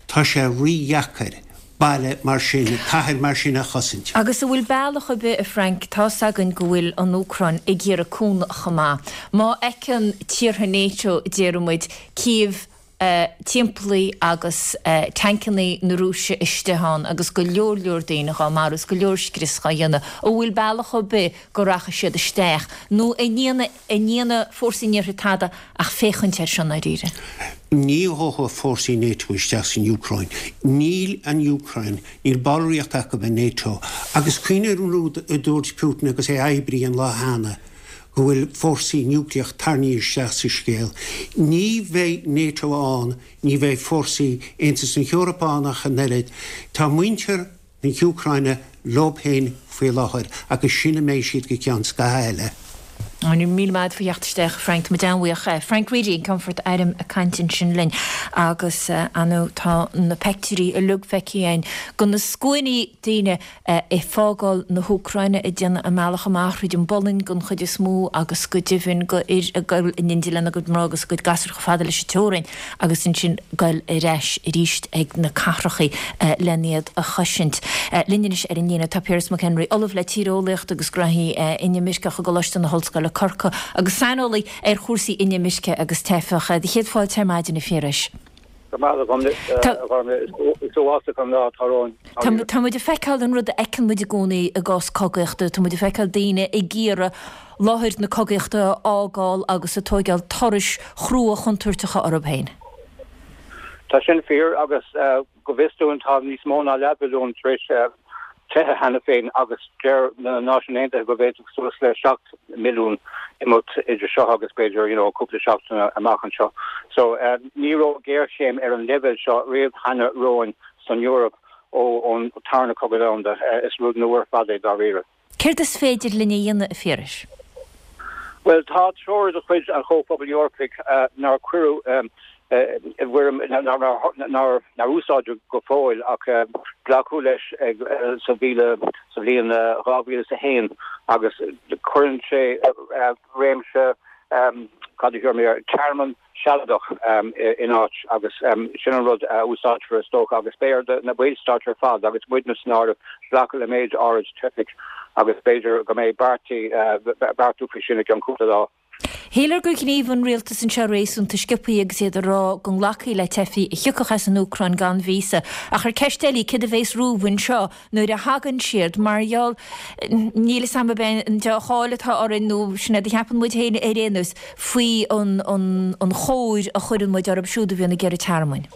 tá sé rídheacair baile mar sin, cathair mar sin a chosaint. Agus an bhfuil bealach ar bith, a Frank, tá's againn go bhfuil an Úcráin ag iarraidh cúnamh chomh maith. Má fheiceann tíortha NATO, déarfaidh muid, Cív, timpeallaithe agus tancannaí na Rúise istigh ann agus go leor leor daoine dhá marú is go leor scrios dhá dhéanamh. An bhfuil bealach ar bith go rachaidh siad isteach nó an ndéanfaidh fórsaí an Iarthair tada ach féachaint air seo i ndáiríre? Ní ghabhfaidh fórsaí NATO isteach san Úcráin. Níl an Úcráin, níl ballraíocht acu i NATO. Agus cuimhnigh ar an rud a dúirt Putin agus é oibrithe an lá cheana, go bhfuil fórsaí núicléach tarraingthe isteach sa scéal. Ní bheidh NATO ann, ní bheidh fórsaí Aontas na hEorpa ann ach an oiread. Tá muintir na hÚcráine leo féin faoi láthair agus sin a mbeidh siad go ceann scaithimh eile. Míle maith agat faoi theacht isteach, Frank. Tá muid an-bhuíoch. Frank Reidy, an Ceannfort Airm ag caint ansin linn agus, ar ndóigh, tá na peictiúirí uilig feicthe againn de na scuainí daoine ag fágáil na hÚcráine ag déanamh a mbealach amach thríd an bPolainn den chuid is mó agus go deimhin do fhir ag goil in éindí lena gcuid mná agus a gcuid gasúr chomh fada leis an teorainn agus ansin goil ar ais arís ag na cathrachaí len iad a chosaint. Linn anois ar an líne tá Piaras McHenry, Ollamh le Tíreolaíocht agus Gnóthaí Inimirceach i gColáiste na hOllscoile Corcaigh agus saineolaí ar chúrsaí inimirce agus teifeach. Do chéad fáilte ar maidin, a Phiarais. Go raibh maith agat, a Ghormfhlaith. Is uafásach an lá atá romhainn. Tá muid ag feiceáil an rud a fheiceann muid i gcónaí i gcás cogaíochta. Tá muid ag feiceáil daoine ag iarraidh láthair na cogaíochta a fhágáil agus ag tóigeáil turais chrua chontúirteacha orthu féin. Tá sin fíor agus go bhfios dúinn tá níos mó ná leathmhilliún tar éis teitheadh cheana féin agus deir na Náisiúin Aontaithe go bhféadfadh suas le seacht milliún imeacht idir seo agus b'fhéidir you know cúpla seachtain amach anseo. So ní raibh géarchéim ar an leibhéal seo riamh cheana romhainn san Eoraip ó ón Tarna Cogadh Domhanda. Is rud nua ar fad é dáiríre. Céard is féidir linn a dhéanamh, a Phiarais? Bhuel, tá treoir de chuid an Chomhphobail Eorpaigh nár cuireadh i bhfoirm nár úsáideadh go fóill ach glacadh leis sa sa bhliain dhá mhíle is a haon agus cuireann sé réimse cad a thiúr mé air, tearmann sealadach in áit agus sin an rud a úsáidfear is dócha agus beidh ar na ballstáit ar fad agus muidne san áireamh glacadh le méid áirid teifigh agus b'fhéidir go mbeidh beartú faoi sin i gceann cúpla lá. Shílear gur ghníomh an rialtas anseo réasúnta sciobtha agus iad ag rá go nglacfaí le teifigh a thiocfadh as an Úcráin gan víosa. Ach ar ceist eile í, céard a bheas romhaibh anseo nuair a thagann siad? Mar gheall, níl 'fhios a'm ab é an dea-cháil atá orainn nó sin é a cheapann muid féin ar aon nós faoi an chóir a chuireann muid orthu siúd a bhíonn ag iarraidh tearmainn.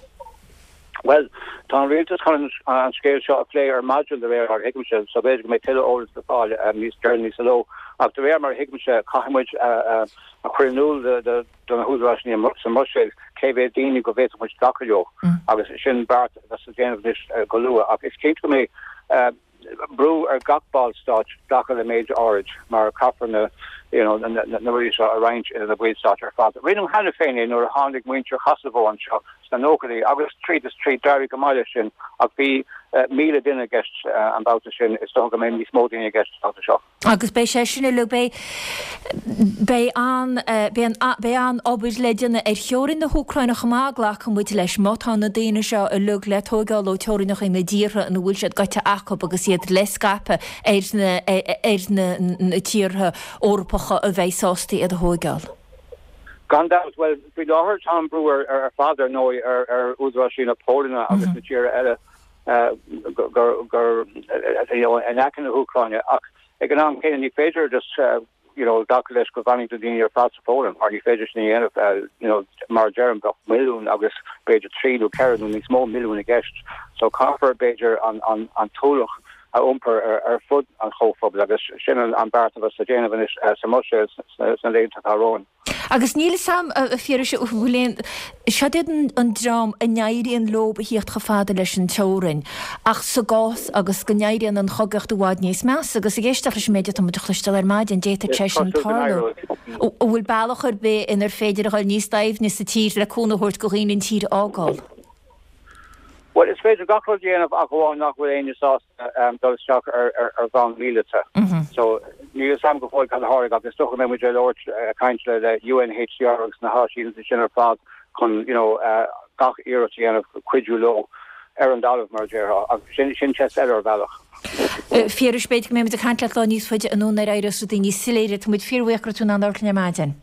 Bhuel, tá an rialtas chun an scéal seo a phlé ar maidin de réir mar a thuigimse, so b'fhéidir go mbeidh tuilleadh eolais le fáil níos deireanaí sa ló. Ach de réir mar a thuigimse, caithfidh muid a chur in iúl do na húdaráis sa mBruiséil cé mhéad daoine go bhféadfadh muid glacadh leo agus sin beart a bheas le déanamh anois go luath. Ach is cinnte go mbeidh brú ar gach ballstát glacadh le méid áirid mar caithfear na you know, na, na, na rudaí seo a roinnt idir na ballstáit ar fad. Rinneadh cheana féin é nuair a tháinig muintir Chosavó anseo sna nóchaidí agus tríd is tríd d'éirigh go maith leis sin ach bhí uh, míle duine i gceist uh, an babhta sin is dócha go mbeidh níos mó daoine i gceist an babhta seo. Agus beidh sé sin uilig, beidh, beidh an, beidh an, beidh an obair le déanamh ar theorainn na hÚcráine chomh maith, glacann muid leis, má tá na daoine seo uilig le tóigeáil ó teorainneacha na dtíortha ina bhfuil siad gaibhte acu agus iad le scaipeadh ar na, ar na, na tíortha Eorpacha a bheidh sásta iad a thóigeáil. Gan dabht, bhuel, faoi láthair tá an brú ar, ar fad ar ndóigh ar, ar údaráis na Polainne agus na tíortha eile gur, gur, you know, in aice na hÚcráine ach Ag an am céanna ní féidir just you know glacadh leis go bhfanfaidh na daoine ar fad sa Pholainn mar ní féidir sin a dhéanamh you know mar a deirim bheadh milliún agus b'fhéidir trí nó ceithre nó níos mó milliún i gceist. So caithfear b'fhéidir an an an t-ualach a iompar ar ar fud an chomhphobail agus sin an an beart a bheas le déanamh anois sa mBruiséil sna laethanta atá romhainn. Agus níl 'fhios a'm, a Phiarais, an bhfuil aon, siod iad an dream a n-éiríonn leo a thíocht chomh fada leis an teorainn, ach sa gcás agus go n-éiríonn an chogaíocht i bhfad níos measa, agus ag éisteacht leis an méid atá muid a chloisteáil ar maidin, d'fhéadfadh sé sin tarlú. An bhfuil bealach ar bith inar féidir a dhul níos doimhne sa tír le cúnamh a thabhairt do dhaoine an tír a fhágáil? Bhuel, is féidir gach rud a dhéanamh ach amháin nach bhfuil éinne sásta dul isteach ar bhonn míleata. So, níl 'fhios a'm go fóill cad a tharlóidh ach is dócha go mbeidh muid ag labhairt, ag caint le le UNHCR agus na háisíneachtaí sin ar fad chun, you know, gach iarracht a dhéanamh cuidiú leo ar an dtalamh, mar a déarfá. Ach sin, sin ceist eile ar bhealach. Phiarais, b'fhéidir go mbeidh muid ag caint leat lá níos faide anonn nuair a éireos rudaí níos soiléire. Tá muid fíorbhuíoch go raibh tú in ann labhairt linn ar maidin.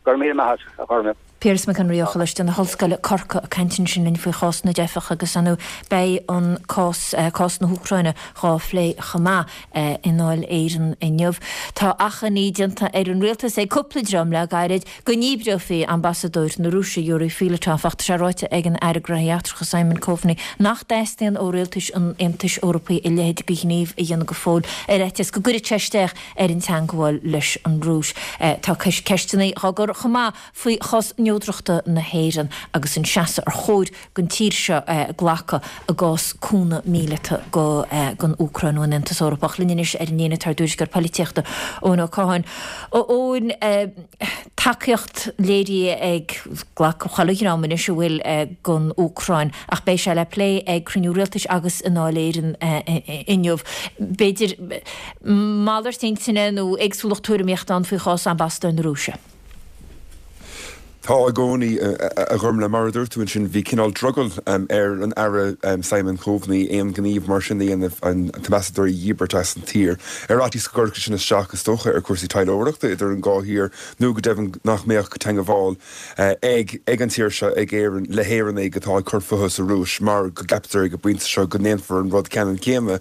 Go raibh míle maith agat, a Ghormfhlaith. Piaras Mac Enrí ó Choláiste na hOllscoile, Corcaigh, ag caint ansin linn faoi chás na dteifeach agus ar ndóigh beidh an cás, cás na hÚcráine dhá phlé chomh maith i nDáil Éireann inniu. Tá achainí déanta ar an rialtas ag cúpla dream le gairid go ndíbreofaí ambasadóir na Rúise, Yuri Filatov, ach tá sé ráite ag an Aire Gnóthaí Eachtracha Simon Coveney nach dteastaíonn ó rialtais an Aontais Eorpaigh a leithéid de ghníomh a dhéanamh go fóill ar fhaitíos go gcuirfeadh sé isteach ar an teangmháil leis an Rúis. Tá ceisteanna á gcur chomh maith faoi chás neodrachta na hÉireann agus an seasamh ar chóir don tír seo glacadh i gcás cúnamh míleata don Úcráin ón Aontas Eorpach. Linn anois ar an líne tá ár dtuairisceoir polaitíochta, Eoin Ó Catháin. A Eoin, tacaíocht léirithe ag gach chuile dhream anois a bhfuil don Úcráin ach beidh sé le plé ag cruinniú rialtais agus i nDáil Éireann inniu. B'fhéidir malairt intinne nó éagsúlacht tuairimíochta ann faoi chás ambasadóir na Rúise. Tá i gcónaí, a Ghormfhlaith. Mar a dúirt tú ansin, bhí cineál drogall ar an Aire Simon Coveney aon ghníomh mar sin a dhéanamh, an t-ambasadóir a dhíbirt as an tír, ar fhaitíos go gcuirfeadh sin isteach, is dócha, ar chúrsaí taidhleoireachta idir an dhá thír nó go deimhin nach mbeadh teangmháil ag ag an tír seo, ag Éirinn, le hÉireannaigh atá ag cur fúthu sa Rúis mar go gceaptar ag an bpointe seo go ndéanfar an rud ceannann céanna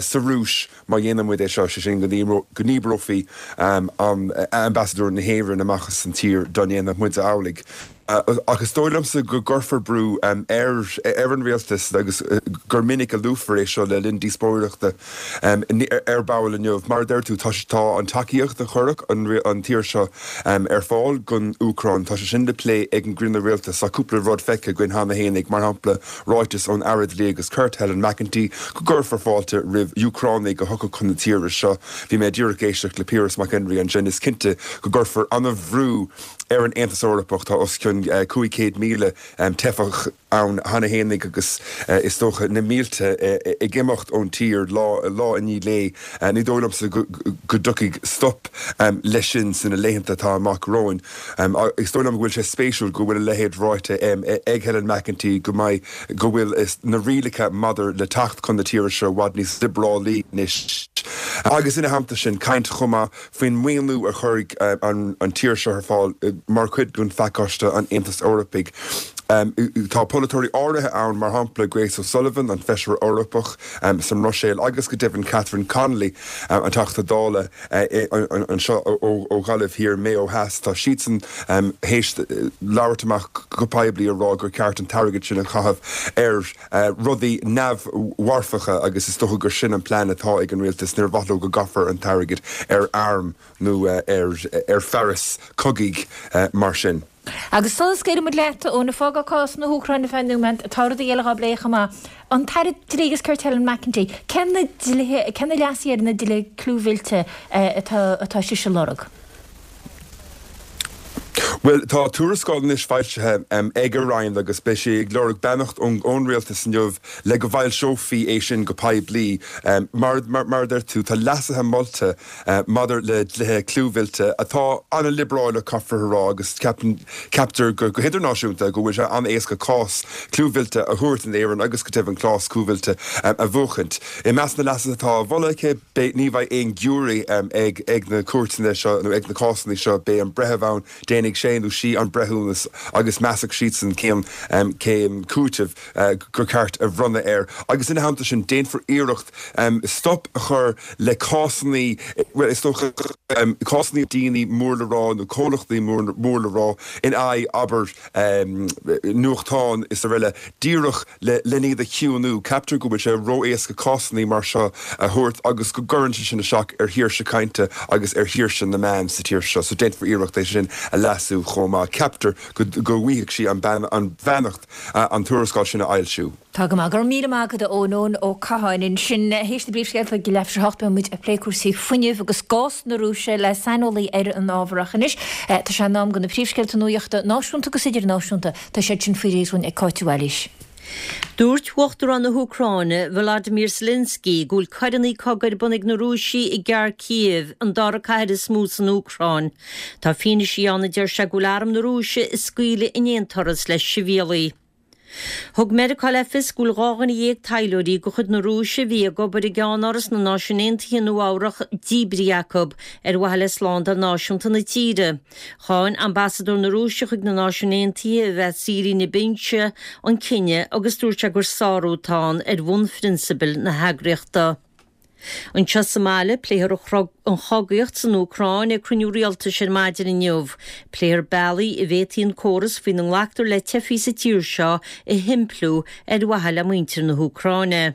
sa Rúis. Má dhéanann muid é seo, sé sin go ndíbreofaí ambasadóir na hÉireann amach as an tír dá ndéanfadh muide amhlaidh. Ach is dóigh liomsa go gcuirfear brú ar an rialtas agus gur minic a luafar é seo le linn díospóireachta ar ball inniu. Mar a deir tú, tá an tacaíocht a chuirfeadh an tír seo ar fáil don Úcráin, tá sé sin le plé ag an gcruinniú rialtais. Tá cúpla rud feicthe againn cheana fhéinig, mar shampla ráiteas ón Aire Dlí agus Cirt, Helen McEntee, go gcuirfear fáilte roimh Úcránaigh a thiocfadh chun na tíre seo. Bhí mé díreach ag éisteacht le Piaras Mac Enrí ansin. Is cinnte go gcuirfear an-bhrú ar an Aontas Eorpach. Tá os cionn cionn cúig chéad míle teifeach ann cheana fhéinig agus is dócha na mílte ag imeacht ón tír lá lá i ndiaidh lae. Ní dóigh liomsa go dtiocfaidh stop leis sin sna laethanta atá amach romhainn. Is dóigh liom go bhfuil sé spéisiúil go bhfuil a leithéid ráite ag Helen McEntee go mbeidh go bhfuil na rialacha maidir le teacht chun na tíre seo i bhfad níos liobrálaí anois. Agus ina theannta sin, caint chomh maith faoin maoiniú a chuirfidh an tír seo ar fáil mar chuid den phacáiste an Aontais Eorpaigh. Tá polaiteoirí áirithe ann, mar shampla Grace O'Sullivan, an Feisire Eorpach sa mBruiséil, agus go deimhin Catherine Connolly, an Teachta Dála anseo ó Ghaillimh Thiar, Maigh Eo Theas, tá siadsan théis labhairt amach go poiblí a rá gur ceart an t-airgead sin a chaitheamh ar rudaí neamh-mharfacha agus is dócha gur sin an plean atá ag an rialtas, níor mhaith leo go gcaithfear an t-airgead ar airm nó ar fearas cogaidh mar sin. Agus sula scaoileann muid leat, a Eoin, ag fágáil cás na hÚcráine ar feadh nóiméad, tá rudaí eile dhá bplé chomh maith. An tAire Dlí agus Cirt Helen McEntee, cé na dlíthe, cé na leasuithe ar na dlíthe clúmhillte atá atá sise a lorg? Bhuel, tá tuarascáil anois foilsithe ag a Roinn agus beidh sí ag lorg beannacht ón Rialtas inniu le go bhfoilseofaí é sin go poiblí. Mar a deir tú, tá leasuithe molta maidir le dlíthe clúmhillte atá an-liobrálach, caithfear a rá, agus ceaptar go hidirnáisiúnta go bhfuil sé an-éasca cás clúmhillte a thabhairt in Éirinn agus go deimhin cás clúmhillte a bhuachaint. I measc na leasuithe atá á mholadh aici, ní bheidh aon ghiúiré ag na cúirteanna seo nó ag na cásanna seo, beidh an breitheamh ann, déanfaidh sé nó sí an breithiúnas agus measfaidh siadsan cén cén cúiteamh gur ceart a bhronnadh air. Agus ina theannta sin, déanfar iarracht stop a chur le cásanna, bhuel, is dócha, cásanna daoine mór le rá nó comhlachtaí mór le rá in aghaidh, abair, nuachtáin is araile, díreach len iad a chiúnú. Ceaptar go bhfuil sé ró-éasca cásanna mar seo a thabhairt agus go gcuireann sé sin isteach ar shaoirse cainte agus ar shaoirse na meán sa tír seo, so déanfar iarracht é sin a leasú chomh maith. Ceaptar go bhfaighidh sí an bheannacht an tuarascáil sin a fhoilsiú. Tá go maith. Go raibh míle maith agat a Eoin, Eoin Ó Catháin ansin. Théis na bpríomhscéalta ag leathuair tar éis a hocht beidh muid ag plé cúrsaí fuinnimh agus gás na Rúise le saineolaí ar an ábhar ach anois tá sé in am do na príomhscéalta nuachta náisiúnta agus idirnáisiúnta. Tá siad sin faoi réir dúinn ag Cáit Mhaoilís. Dúirt Uachtarán na hÚcráine, Volodymyr Zelensky, go bhfuil coireanna cogaidh ar bun ag na Rúisigh i gCarcív, an dara cathair is mó san Úcráin. Tá fianaise ann, a deir sé, go bhfuil arm na Rúise ag scaoileadh in aon turas le sibhialaigh. Thug Meiriceá le fios go bhfuil dhá dhuine dhéag taidhleoirí de chuid na Rúise a bhí ag obair i gceannáras na Náisiún Aontaithe i Nua-Eabhrac díbrithe acu ar mhaithe le slándáil náisiúnta na tíre. Cháin ambasadóir na Rúise chuig na Náisiúin Aontaithe, Vassily Nebenzia, an cinneadh agus dúirt sé gur sárú atá ann ar bhunphrionsabail na heagraíochta. Anseo sa mbaile, pléifear an chogaíocht san Úcráin ag cruinniú rialtais ar maidin inniu. Pléifear bealaí a bhféadfaí an córas faoina nglactar le teifigh sa tír seo a shimpliú ar mhaithe le muintir na hÚcráine.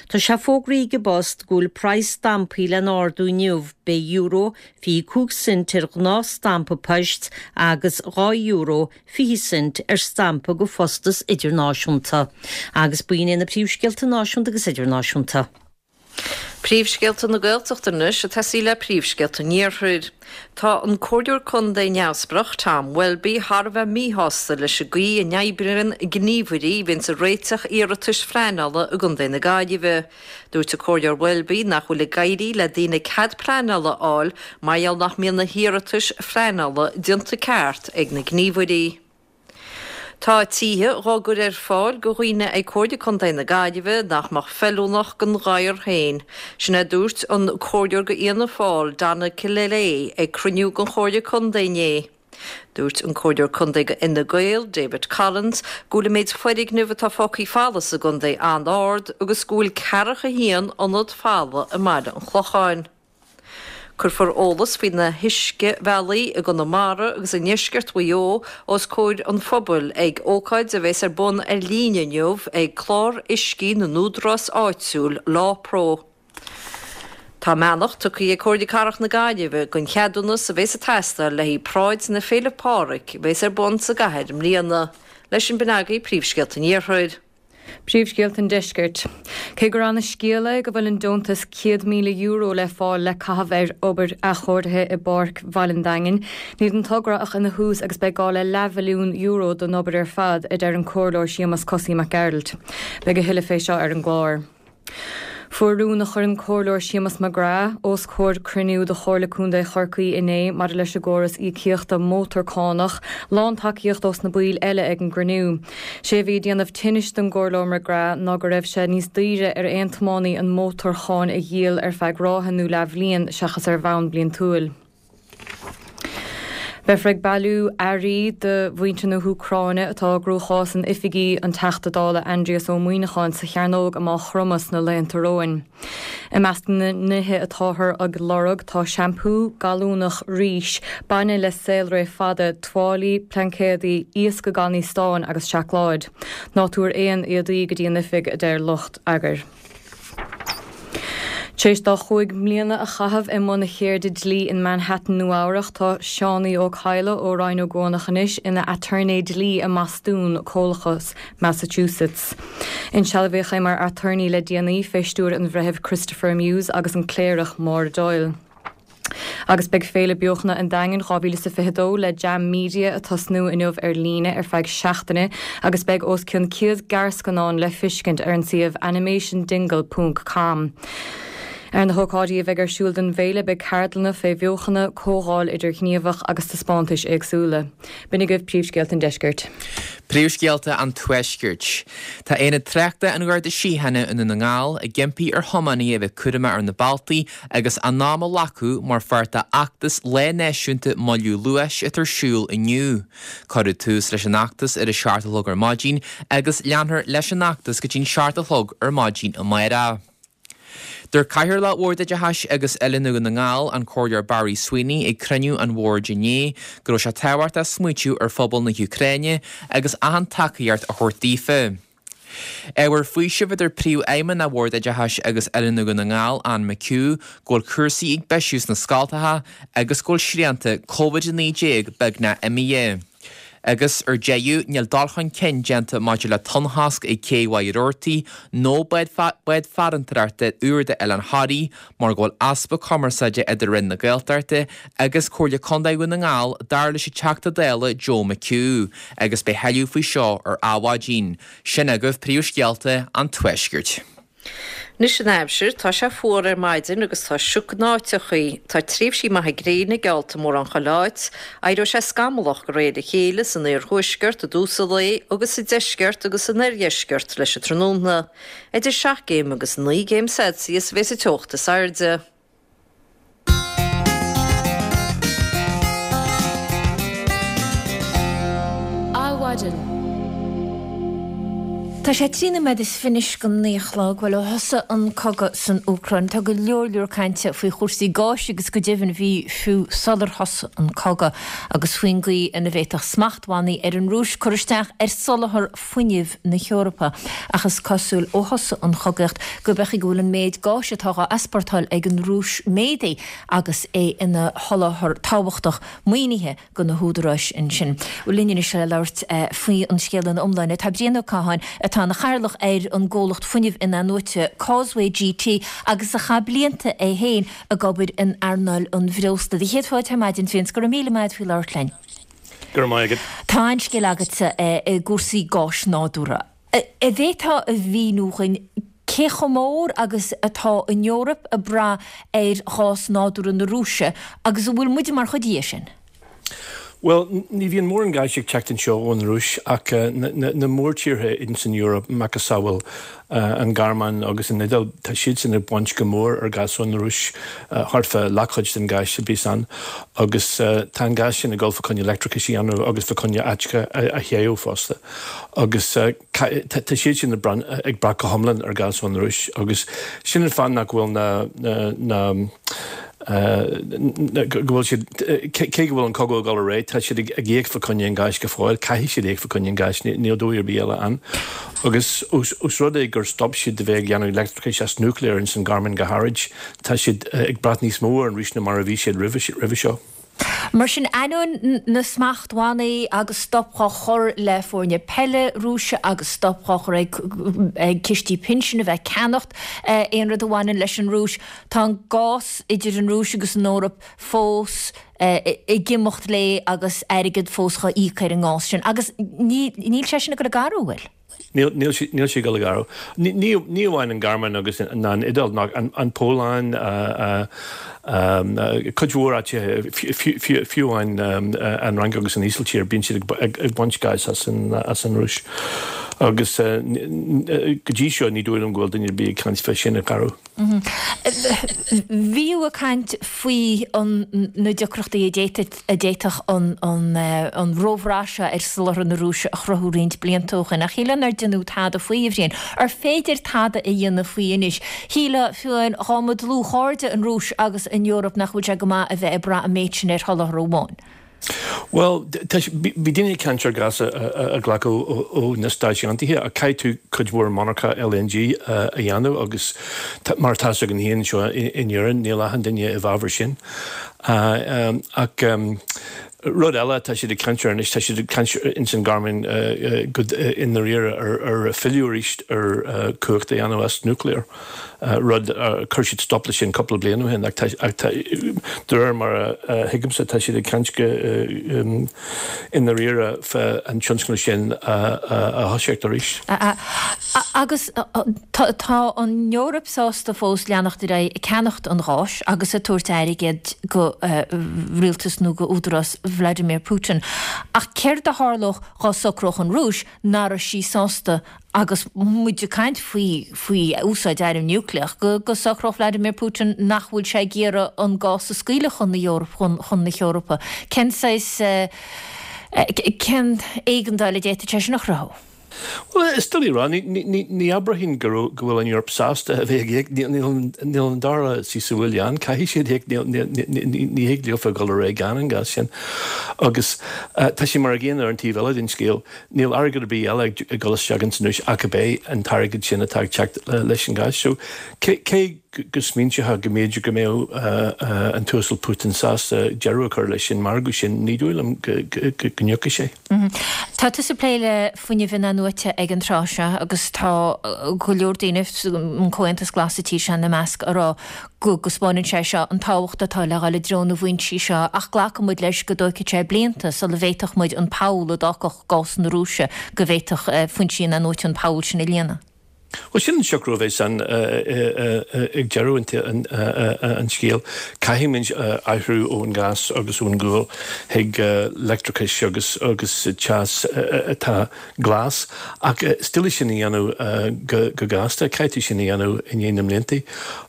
Tá sé fógraithe ag an bPost go bhfuil praghas stampaí le n-ardú inniu. Beidh euro fiche cúig cent ar ghnáthstampa poist agus dhá euro fiche cent ar stampa do phostas idirnáisiúnta. Agus b'in iad na príomhscéalta náisiúnta agus idirnáisiúnta. Príomhscéalta na Gaeltachta anois ag tosaí le príomhscéalta an Iarthair. Tá an Comhairleoir Contae neamhspleách Tom Welby thar a bheith míshásta leis an gcaoi a n-oibríonn gníomhairí a bhíonns ag réiteach iarratais phleanála i gContae na Gaillimhe. Dúirt an Comhairleoir Welby nach bhfuil ag éirí le daoine cead pleanála a fháil mar gheall nach mbíonn na hiarratais phleanála déanta ceart ag na gníomhairí. Tá tithe dhá gcur ar fáil go dhaoine ag Comhairle Contae na Gaillimhe nach mbeadh feiliúnach don ghadhar féin. Sin é a dúirt an Comhairleoir go Fhianna Fáil, Donna Killilea ag cruinniú den Chomhairle Contae inné. Dúirt an Comhairleoir Contae go Fhine Gael, David Collins, go bhfuil an méid foirgneamh atá fágtha folamh sa gcontae an-ard agus go bhfuil ceathracha a haon ionad folamh i mBaile an Chlocháin. Cuirfear eolas faoi na huiscebhealaí i gConamara agus i ndeisceart Mhaigh Eo os comhair an phobail ag ócáid a bheas ar bun ar líne inniu ag Clár Uiscí na nÚdarás Áitiúil, LawPro. Tá a mbeannacht tugtha ag Comhairle Cathrach na Gaillimhe don cheadúnas a bheas ag teastáil le haghaidh Paráid na Féile Pádraig a bheas ar bun sa gcathair i mbliana. Leis sin b'in agaibh príomhscéalta an Iarthair. Príomhscéalta an Deiscirt. Cé gur ana-scéal é go bhfuil an deontas céad míle euro le fáil le caitheamh ar obair athchóirithe i bPáirc Bhaile an Daingin, níl an togra ach ina thús agus beidh gá le leathmhilliún euro don obair ar fad, a deir an Comhairleoir Séamus Cosaí Mac Gearailt. Beidh a thuilleadh fé seo ar an gclár. Fuair rún a chuir an Comhairleoir Séamus McGrath os comhair cruinniú de Chomhairle Contae Chorcaí inné maidir leis an gcóras íocaíochta mótarchánach lántacaíocht ós na baill eile ag an gcruinniú. Sé a bhí ag déanamh tinnis don gComhairleoir McGrath ná go raibh sé níos daoire ar aon tiománaí an mhótarcháin a dhíol ar feadh ráithe nó leathbhliain seachas ar bhonn bliantúil. Beifear ag bailiú earraí do mhuintir na hÚcráine atá i gcruachás in oifigí an Teachta Dála Aindrias Ó Muimhneacháin sa Chearnóg i Maigh Chromtha sna laethanta romhainn. I measc na nithe atáthar ag lorg tá seampú, gallúnach, rís, bainne le saolré fada, tuáillí, plaincéadaí, iasc i gcannaí stáin agus seacláid. Ná tabhair aon éadaí go dtí an oifig, a deir lucht eagair. Tar éis dó chúig mbliana a chaitheamh i mbun a cheirde dlí in Manhattan, Nua-Eabhrac, tá Seánie Ó Cadhla ó Rinn Ó gCuanach anois ina aturnae dlí i mBostún, Comhlachas Massachusetts. Insealbhaíodh é mar aturnae le déanaí fé stiúir an Bhreithimh Christopher Muse agus an Cléireach Máire Doyle. Agus beidh Féile Beochana an Daingin dhá mhíle is a fiche dó le Jam Media ag tosnú inniu ar líne ar feadh seachtaine agus beidh os cionn céad gearrscannán le feiscint ar an suíomh animationdingle ponc com. Ar na hócáidí a bheidh ar siúl don bhféile beidh ceardlanna fé bheochana, comhdháil idirghníomhach agus taispeántais éagsúla. B'in agaibh príomhscéalta an deiscirt. Príomhscéalta an Tuaiscirt. Tá Aonad Tráchta an Gharda Síochána i nDún na nGall ag impí ar thiománaithe a bheith cúramach ar na bealtaí agus a n-am a ghlacadh mar pháirt d'fheachtas Lá Náisiúnta Moilliú Luais atá ar siúl inniu. Cuireadh tús leis an fheachtas ar a seacht a chlog ar maidin agus leanfar leis an fheachtas go dtí'n seacht a chlog ar maidin amárach. Dúirt Cathaoirleach Bhord Oideachais agus Oiliúna Dhún na nGall, an Comhairleoir Barry Sweeney, ag cruinniú an bhoird inné go raibh sé tábhachtach smaoitiú ar phobal na hÚcráine agus achan tacaíocht a thabhairt daofa. Ábhar faoisimh a deir Príomhfheidhmeannach Bhord Oideachais agus Oiliúna Dhún na nGall, Anne McHugh, go bhfuil cúrsaí ag bisiú sna scoltacha agus go bhfuil srianta Covid a naoi déag beagnach imithe. Agus ar deireadh, níl dul chun cinn déanta maidir le tonnchosc ag Cé Mhaigh Rabhartaigh nó bád farantóireachta úr d'Oileán Thoraí mar go bhfuil easpa cumarsáide idir Roinn na Gaeltachta agus Comhairle Contae Dhún na nGall, dar leis an Teachta Dála Joe McHugh, agus beidh thuilleadh faoi seo ar Adhmhaidin. Sin agaibh príomhscéalta an Tuaiscirt. Anois an aimsir, tá sé fuar ar maidin agus tá sioc in áiteachaí. Tá tréimhsí maithe gréine geallta mórán chuile áit. Éireoidh sé scamallach de réir a chéile san iarthuaisceart i dtús an lae agus sa deisceart agus san oirdheisceart leis an tráthnóna. Idir seacht gcéim agus naoi gcéim Celsius a bheas an teocht is airde. Adhmhaidin. Tá sé trí nóiméad is fiche anois go naoi a chlog. Bhuel, ó thosaigh an cogadh san Úcráin, tá go leor leor cainte faoi chúrsaí gáis agus go deimhin bhí fiú sular thosaigh an cogadh agus faoin gcaoi ina bhféadfadh smachtbhannaí ar an Rúis cur isteach ar soláthar fuinnimh na hEorpa. Ach is cosúil ó thosaigh an chogaíocht gurb é go bhfuil an méid gáis atá á easpórtáil ag an Rúis méadaithe agus é ina sholáthar tábhachtach maoinithe do na húdaráis ansin. Bhuel, linn anois le labhairt faoi an scéal ina iomláine tá Brian Ó Catháin atá ina chathaoirleach ar an gcomhlacht fuinnimh in-athnuaite Causeway G T agus a chaith blianta é féin ag obair in earnáil an bhreosla. Do chéad fáilte ar maidin, Bhriain, go raibh míle maith agat faoi labhairt linn. Go raibh maith agat. Tá an-scéal agatsa i gcúrsaí gáis nádúrtha. An bhféadfá a mhíniú dhuinn cé chomh mór agus atá an Eoraip ag brath ar ghás nádúrtha na Rúise agus an bhfuil muide mar chuid dhe sin? Bhuel, ní bhíonn mórán gáis ag teacht anseo ón Rúis ach na mórtíortha ins an Eoraip, macasamhail an Ghearmáin agus an Iodáil, tá siadsan ag baint go mór ar ghás ón Rúis, thart fá leathchuid den ghás a bhíos ann. Agus tá an gás sin ag dul fá choinne leictreachais a dhéanamh agus fá choinne áiteacha a théamh fosta. Agus tá siad sin ag brath go hiomlán ar ghás ón Rúis agus sin an fáth nach bhfuil na na go bhfuil siad, cé go bhfuil an cogadh ag dul ar aghaidh, tá siad ag íoc fá choinne an gáis go fóill, caithfidh siad íoc fá choinne an gáis, níl dóigh ar bith eile ann. Agus ós rud é gur stop siad de bheith ag déanamh leictreachais as núicléar ins an Ghearmáin go háirid, tá siad ag brath níos mó ar an Rúis ná mar a bhí siad roimhe seo. Mar sin, ainneoin na smachtbhannaí agus stop á chur le foirne peile Rúise agus stop á chur ag ag cistí pinsin a bheith ag ceannacht aon rud a bhaineann leis an Rúis, tá an gás idir an Rúis agus an Eoraip fós ag imeacht léi agus airgead fós á íoc ar an ngás sin. Agus níl sé sin ag dul ag athrú, an bhfuil? Níl, níl sé, níl sé ag dul ag athrú. Ní, ní, ní amháin an Ghearmáin agus ná an Iodáil, ná an, an Pholainn, cuid mhór áiteacha, fiú, fiú amháin an Fhrainc agus an Ísiltír, bíonn siad ag, ag, ag baint gáis as an, as an Rúis. Agus go dtí seo ní dóigh liom go bhfuil duine ar bith ag caint fé sin a athrú. Bhí ag caint faoi na deacrachtaí a d'fhéadfadh an róbhrath seo ar soláthar na Rúise a chruthú roinnt blianta ó shin, ach shílfeá nár deineadh tada faoi, a Bhriain. Ar féidir tada a dhéanamh faoi anois? Shílfeá, fiú amháin, dá mba dlúthchairde an Rúis agus an Eoraip nach bhfuil sé go maith a bheith ag brath an méid sin ar sholáthar amháin. Bhuel, bhí daoine ag caint ar ghás a ghlacadh ó na Stáit Aontaithe ach caithfidh tú cuid mhór monarcha L N G a dhéanamh agus mar atá againn féin anseo in Éirinn, níl achan duine i bhfabhar sin. Ach rud eile tá siad ag caint ar anois, tá siad ag caint ins an Ghearmáin go i ndáiríre ar filleadh arís ar cumhacht a dhéanamh as nuclear. Rud chuir siad stop leis sin cúpla bliain ó shin ach de réir mar a thuigimse tá siad ag caint go i ndáiríre fá an tionscnamh sin a thoiseacht arís. Agus tá an Eoraip sásta fós leanacht ar aghaidh ag ceannacht an gháis agus ag tabhairt airgead go rialtas nó go údarás Vladimir Putin. Ach céard a tharlódh dá socródh an Rúis nach raibh sí sásta agus muid ag caint faoi faoi úsáid arm núicléach go go socródh Vladimir Putin nach bhfuil sé ag iarraidh an gás a scaoileadh chun na Eorpa chun chun na hEorpa. Cén saghas cén éigeandáil a d'fhéadfadh sé sin a chruthú? Well, is doiligh a rá, ní abraithín go bhfuil an Eoraip sásta a bheith ag íoc, níl an dara suí sa bhuaile ann, caithfidh siad íoc, ní thig leofa dul ar aghaidh gan an gás sin. Agus tá sé mar a gcéanna ar an taobh eile den scéal, níl airgead ar bith eile ag dul isteach ins an Rúis ach ab é an t-airgead sin atá ag teacht leis an gás. So cé go smaointeofa go mb'fhéidir go mbeadh an tUasal Putin sásta deireadh a chur leis an margadh sin, ní dóigh liom go n-íocfaidh sé. Tá tusa ag plé le fuinneamh in-athnuaite ag an tráth seo agus tá go leor daoine, an Comhaontas Glas sa tír seo ina measc, ag rá go dtaispeánann sé seo an tábhacht atá le dhul i dtreo na bhfoinsí seo ach glacann muid leis go dtógfaidh sé blianta sula bhféadfadh muid an poll a d'fhágfadh gás na Rúise, go bhféadfadh foinsí in-athnuaite an poll sin a líonadh. Well sin an socrú a bheas ann ag deireadh an scéil. Caithfimid athrú ón gás agus ón gcual chuig leictreachas agus agus teas atá glas. Ach is doiligh sin a dhéanamh go gasta, caithfidh tú sin a dhéanamh i ndiaidh na mblianta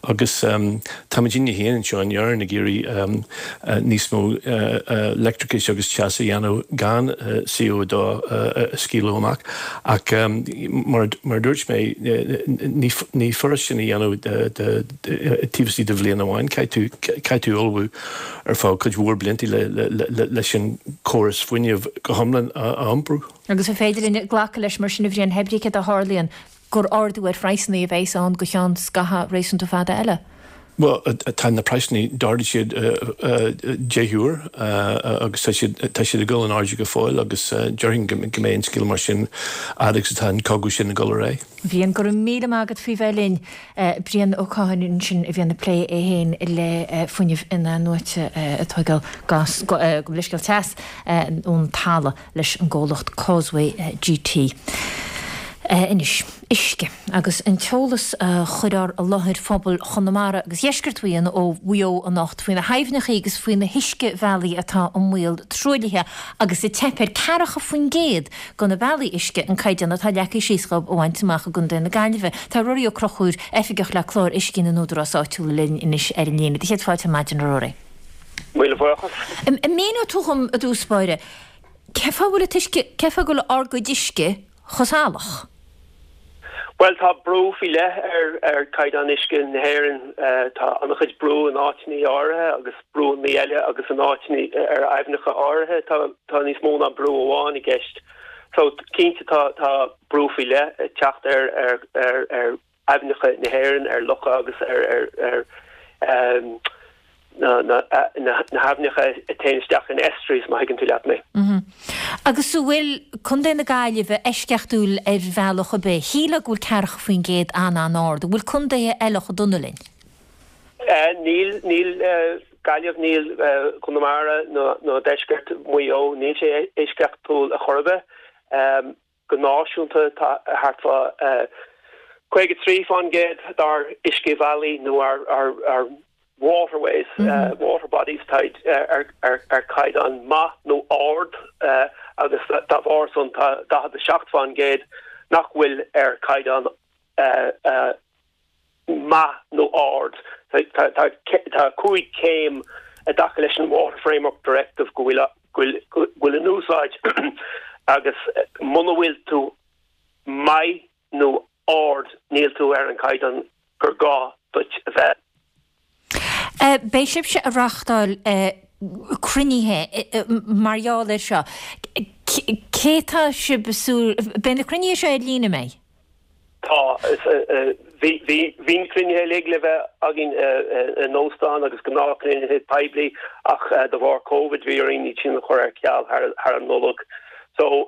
agus táimidne féin anseo in Éirinn ag iarraidh níos mó leictreachais agus teas a dhéanamh gan C O dó a scaoileadh amach. Ach mar a dúirt mé, ní furast sin a dhéanamh taobh istigh de bhliain amháin, caithfidh tú ullmhú ar feadh cuid mhór blianta leis an córas fuinnimh go hiomlán a iompú. Agus an féidir linn glacadh leis mar sin, a Bhriain, pé ar bith céard a tharlaíonn, gur ardú ar phraghsanna a bheas ann go ceann scaitheamh réasúnta fada eile? Bhuel, tá na praghsanna, d'ardaigh siad deich uair agus tá siad tá siad ag dul in airde go fóill agus déarfainn go mbeidh an scéal mar sin fhad agus atá an cogadh sin ag dul ar aghaidh. Bhriain, go raibh míle maith agat faoi bheith linn. Brian Ó Catháin ansin a bhíonn ag plé é féin le fuinneamh in-athnuaite ag tógáil gás go leithscéal teas ón talamh leis an gcomhlacht Causeway G T. Anois, uisce agus an t-eolas a chuirfear i láthair phobal Chonamara agus Dheisceart Mhaigh Eo ó Mhaigh Eo anocht faoi na haibhneacha agus faoi na huiscebhealaí atá i mbaol truaillithe agus ag teip ar ceathracha faoin gcéad de na bealaí uisce an caighdeán atá leagtha síos dhóibh a bhaint amach i gContae na Gaillimhe. Tá Ruairí Ó Conchúir, Oifigeach le Clár Uisce na nÚdarás Áitiúil linn anois ar an líne. Do chéad fáilte ar maidin, a Ruairí. Míle buíochas. An míneoidh tú dhom i dtús báire, cén fáth bhfuil an t-uisce, cén fáth go bhfuil ár gcuid uisce chomh salach? Bhuel, tá brú faoi leith ar ar chaighdeán uisce na hÉireann. Tá an-chuid brú in áiteanna áirithe agus brúnna eile agus in áiteanna ar aibhneacha áirithe tá tá níos mó ná brú amháin i gceist. So cinnte tá tá brú faoi leith ag teacht ar ar ar ar aibhneacha na hÉireann, ar locha agus ar ar ar um, na haibhneacha a théann isteach in estuaries, má thuigeann tú leat mé. Agus an bhfuil Contae na Gaillimhe eisceachtúil ar bhealach ar bith? Shílfeá go bhfuil ceathracha faoin gcéad an-an-ard. An bhfuil contaetha eile chomh dona linn? Níl, níl Gaillimh, níl Conamara nó deisceart Mhaigh Eo, níl sé eisceachtúil a chor ar bith. Go náisiúnta tá thart fá caoga trí fán gcéad dár uiscebhealaí nó ár ár waterways, water bodies, táid ar caighdeán maith nó ard agus dá bharr san tá daichead a seacht fán gcéad nach bhfuil ar caighdeán maith nó ard. Tá cúig céim i dtaca leis an Water Framework Directive go bhfuil go bhfuil in úsáid agus muna bhfuil tú maith nó ard níl tú ar an caighdeán gur gá duit a bheith. Beidh sibhse ag reáchtáil cruinnithe mar gheall air seo. Cé tá sibh ag súil, beidh na cruinnithe seo ar líne, an mbeidh? Tá. Bhí bhí na cruinnithe uilig le bheith againn in óstán agus gnáthchruinnithe poiblí ach de bharr Covid bhí orainn iad sin a chur ar ceal thar an Nollaig. So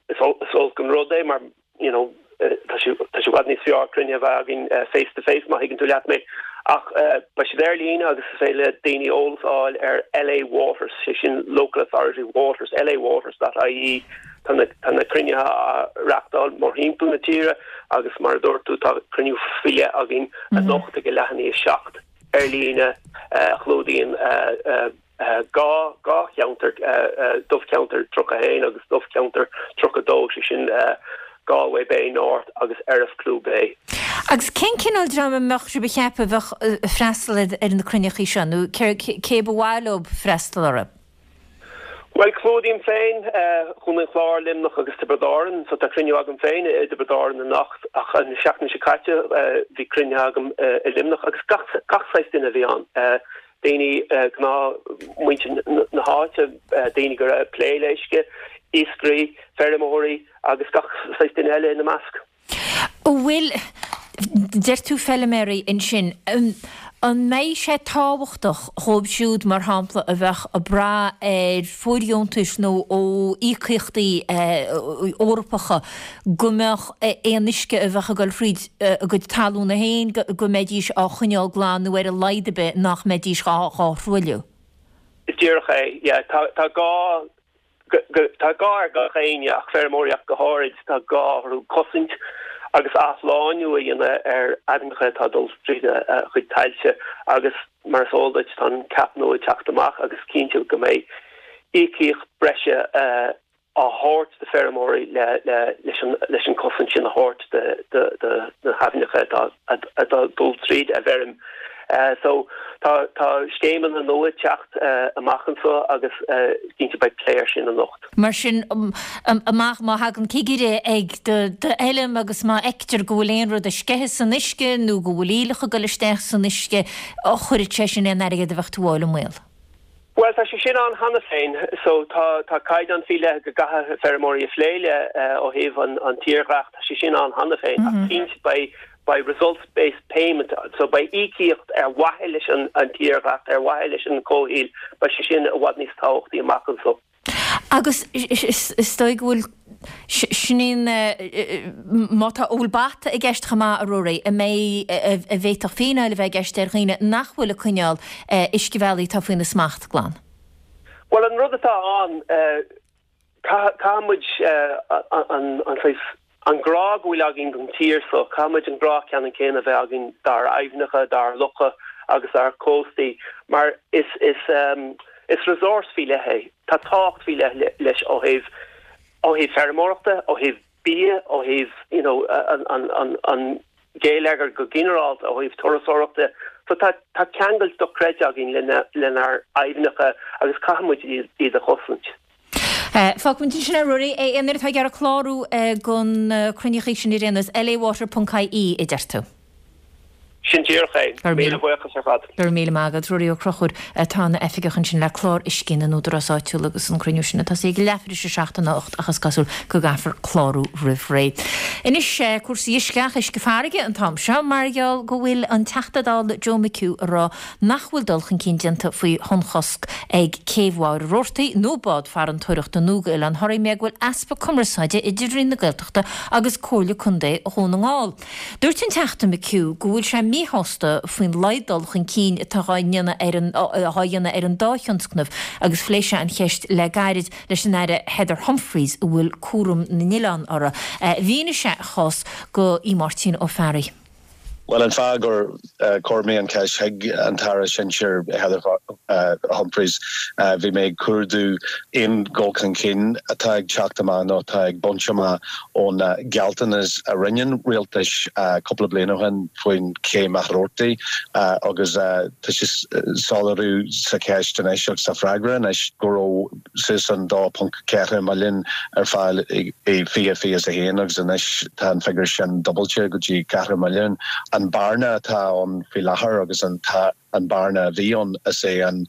is olc an rud é mar you know tá sé tá sé i bhfad níos fearr cruinnithe a bheith againn face to face má thuigeann tú leat mé. Ach beidh siad ar líne agus is féidir le daoine eolas a fháil ar LA Waters, sé sin Local Authority Waters, lawaters dot ie. Tá na tá na cruinnithe á reáchtáil mórthimpeall na tíre agus mar a dúirt tú tá cruinniú faoi leith againn anocht ag a leath i ndiaidh a seacht ar líne a chlúdaíonn dhá dhá cheantar, dobharcheantar tríocha a haon agus dobharcheantar tríocha a dó, sé sin Galway Bay North agus Erriff Clew Bay. Agus cén cineál dream a mbeadh sibh a cheapadh a bheadh ag freastal ar na cruinneachaí seo nó cé ba mhaith leo freastal orthu? Bhuel, clúdaím féin Contae an Chláir, Luimneach agus Tiobraid Árann, so tá cruinniú agam féin i dTiobraid Árann anocht ach an seachtain seo caite bhí cruinnithe agam i Luimneach agus gach gach saghas duine a bhí ann, daoine gnáth muintir na háite, daoine go raibh ag plé le uisce, iascairí, feirmeoirí agus gach saghas duine eile ina measc. An bhfuil, deir tú feilméaraí ansin, an mbeidh sé tábhachtach dhóibh siúd, mar shampla, a bheadh ag brath ar fóirdheontais nó ó íocaíochtaí Eorpacha go mbeadh aon uisce a bheadh ag dul thríd a gcuid talúna féin, go mbeidís á choinneáil glan nó ar a laghad ar bith nach mbeidís dhá thruailliú? Is díreach é, yeah. Tá gá Tá gá ar gach éinne, ach feirmeoirí ach go háirid, tá gá orthu cosaint agus athshlánú a dhéanamh ar aibhneacha atá ag dul tríd a gcuid tailte agus mar is eol duit tá an cap nua ag teacht amach agus cinnte go mbeidh íocaíocht breise á thabhairt do feirmeoirí leis an cosaint sin a thabhairt do na haibhneacha atá ag dul tríd a bhfeirm. So tá tá scéimeanna nua ag teacht amach anseo agus cinnte beidh plé air sin anocht. Mar sin amach má thagann cigire ag do d'fheilm agus má fheictear go bhfuil aon rud ag sceitheadh san uisce nó go bhfuil aoileach ag dul isteach san uisce, chuirfeadh sé sin aon airgead a bheadh tú a fháil i mbaol. Bhuel, tá sé sin ann cheana féin. So tá tá caighdeán faoi leith go gcaithfidh feirmeoirí a phlé le ó thaobh an an tírdhreach, tá sé sin ann cheana féin. Ach cinnte beidh beidh results based payment, so beidh íocaíocht ar mhaithe leis an an tírdhreach, ar mhaithe leis an comhshaoil, beidh sé sin i bhfad níos tábhachtaí amach anseo. Agus is dóigh go bhfuil, sin é an, má tá, an bhfuil bata i gceist chomh maith, a Ruairí, an mbeidh, a bhféadfadh fíneáil a bheith i gceist ar dhaoine nach bhfuil ag coinneáil uiscebhealaí atá faoina smacht glan? Bhuel, an rud atá ann, caithfidh muid an saghas, an grá go bhfuil againn don tír so, caithfidh muid an grá ceannann céanna a bheith againn dár aibhneacha, dár locha agus dár cóstaí mar is, is, is resource faoi leith é. Tá tábhacht faoi leith leis ó thaobh, ó thaobh feirmeoireachta, ó thaobh bia, ó thaobh you know an, an, an, an geilleagar go ginearálta, ó thaobh turasóireachta. So tá, tá ceangal dochreidte againn lena, lenár aibhneacha agus caithfidh muid iad, iad a chosaint. Fágfaimid ansin é, a Ruairí. Aon duine atá ag iarraidh clárú don cruinniú sin ar aon nós, lawater ponc ie a deir tú. Sin díreach é. Míle buíochas ar fad. Go raibh míle maith agat. Ruairí Ó Conchúir atá ina oifigeach ansin le clár uisce na n-údarás áitiúil agus an cruinniú sin ag tosaí ag leathuair tar éis a seacht anocht ach is cosúil go gcaithfear clárú roimh ré. Anois cúrsaí uisce ach uisce farraige an t-am seo mar gheall go bhfuil an Teachta Dála Joe McHugh ag rá nach bhfuil dul chun cinn déanta faoi thonnchosc ag céibh Mhachaire Rabhartaigh nó bád farantóireachta nua d'Oileán Thoraí mar go bhfuil easpa cumarsáide idir Roinn na Gaeltachta agus Comhairle Contae Dhún na nGall. Dúirt an Teachta McHugh go bhfuil sé míshásta faoin laghad dul chun cinn atá á dhéanamh ar an á dhéanamh ar an dá thionscnamh agus phléigh sé an cheist le gairid leis an Aire Heather Humphreys a bhfuil cúram na n-oileán uirthi. Mhínigh sé a chás do Aodh Máirtín Ó Fearraigh. Bhuel, an fáth gur chuir mé an cheist chuig an tAire Sinsir Heather Humphreys, bhí mé ag cuardú aon dhul chun cinn atá ag teacht amach nó atá ag baint amach ón gealltanas a rinne an rialtas cúpla bliain ó shin faoin chéim Mhachaire Rabhartaigh agus tá sé soiléiriú sa cheist anois agus sa freagra anois go raibh suas an dó ponc ceathair milliún ar fáil i fiche fiche a haon agus anois tá an figiúr sin dúbailte go dtí ceathair milliún. An bearna atá ann faoi láthair agus an an bearna a bhí ann is é an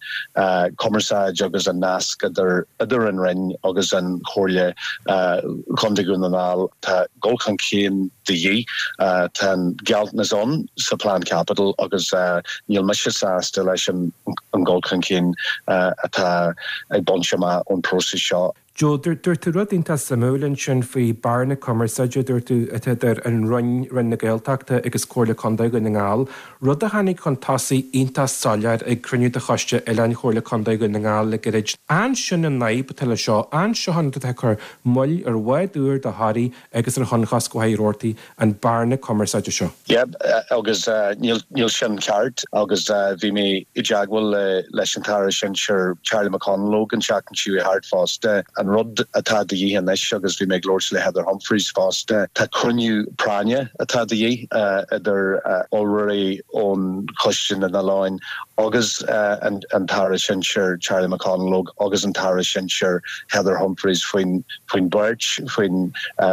cumarsáid agus an nasc idir idir an Roinn agus an Chomhairle Chontae Dhún na nGall. Tá dul chun cinn de dhíth. Tá an gealltanas ann sa Plean Caipitil agus níl mise sásta leis an dhul chun cinn atá ag baint amach ón próiseas seo. Joe, dúirt tú rud iontach suimiúil ansin faoi bearna cumarsáide, dúirt tú, atá idir an Roinn, Roinn na Gaeltachta agus Comhairle Contae Dhún na nGall, rud a tháinig chun tosaigh iontach soiléir ag cruinniú de Choiste Oileáin Chomhairle Contae Dhún na nGall le gairid. An sin an fhadhb atá le seo, an seo an rud atá ag cur moill ar bhád úr do Thoraí agus ar thonnchosc Mhachaire Rabhartaigh, an bearna cumarsáide seo? Yeah, agus níl níl sin ceart agus bhí mé i dteagmháil leis an tAire Sinsir Charlie McConalogue an tseachtain seo thart fosta. An rud atá de dhíth anois agus bhí mé ag labhairt le Heather Humphreys fosta, tá cruinniú práinne atá de dhíth idir urlabhraí ón Choiste na nOileán agus an an tAire Sinsir Charlie McConalogue agus an tAire Sinsir Heather Humphreys faoin faoin beirt faoin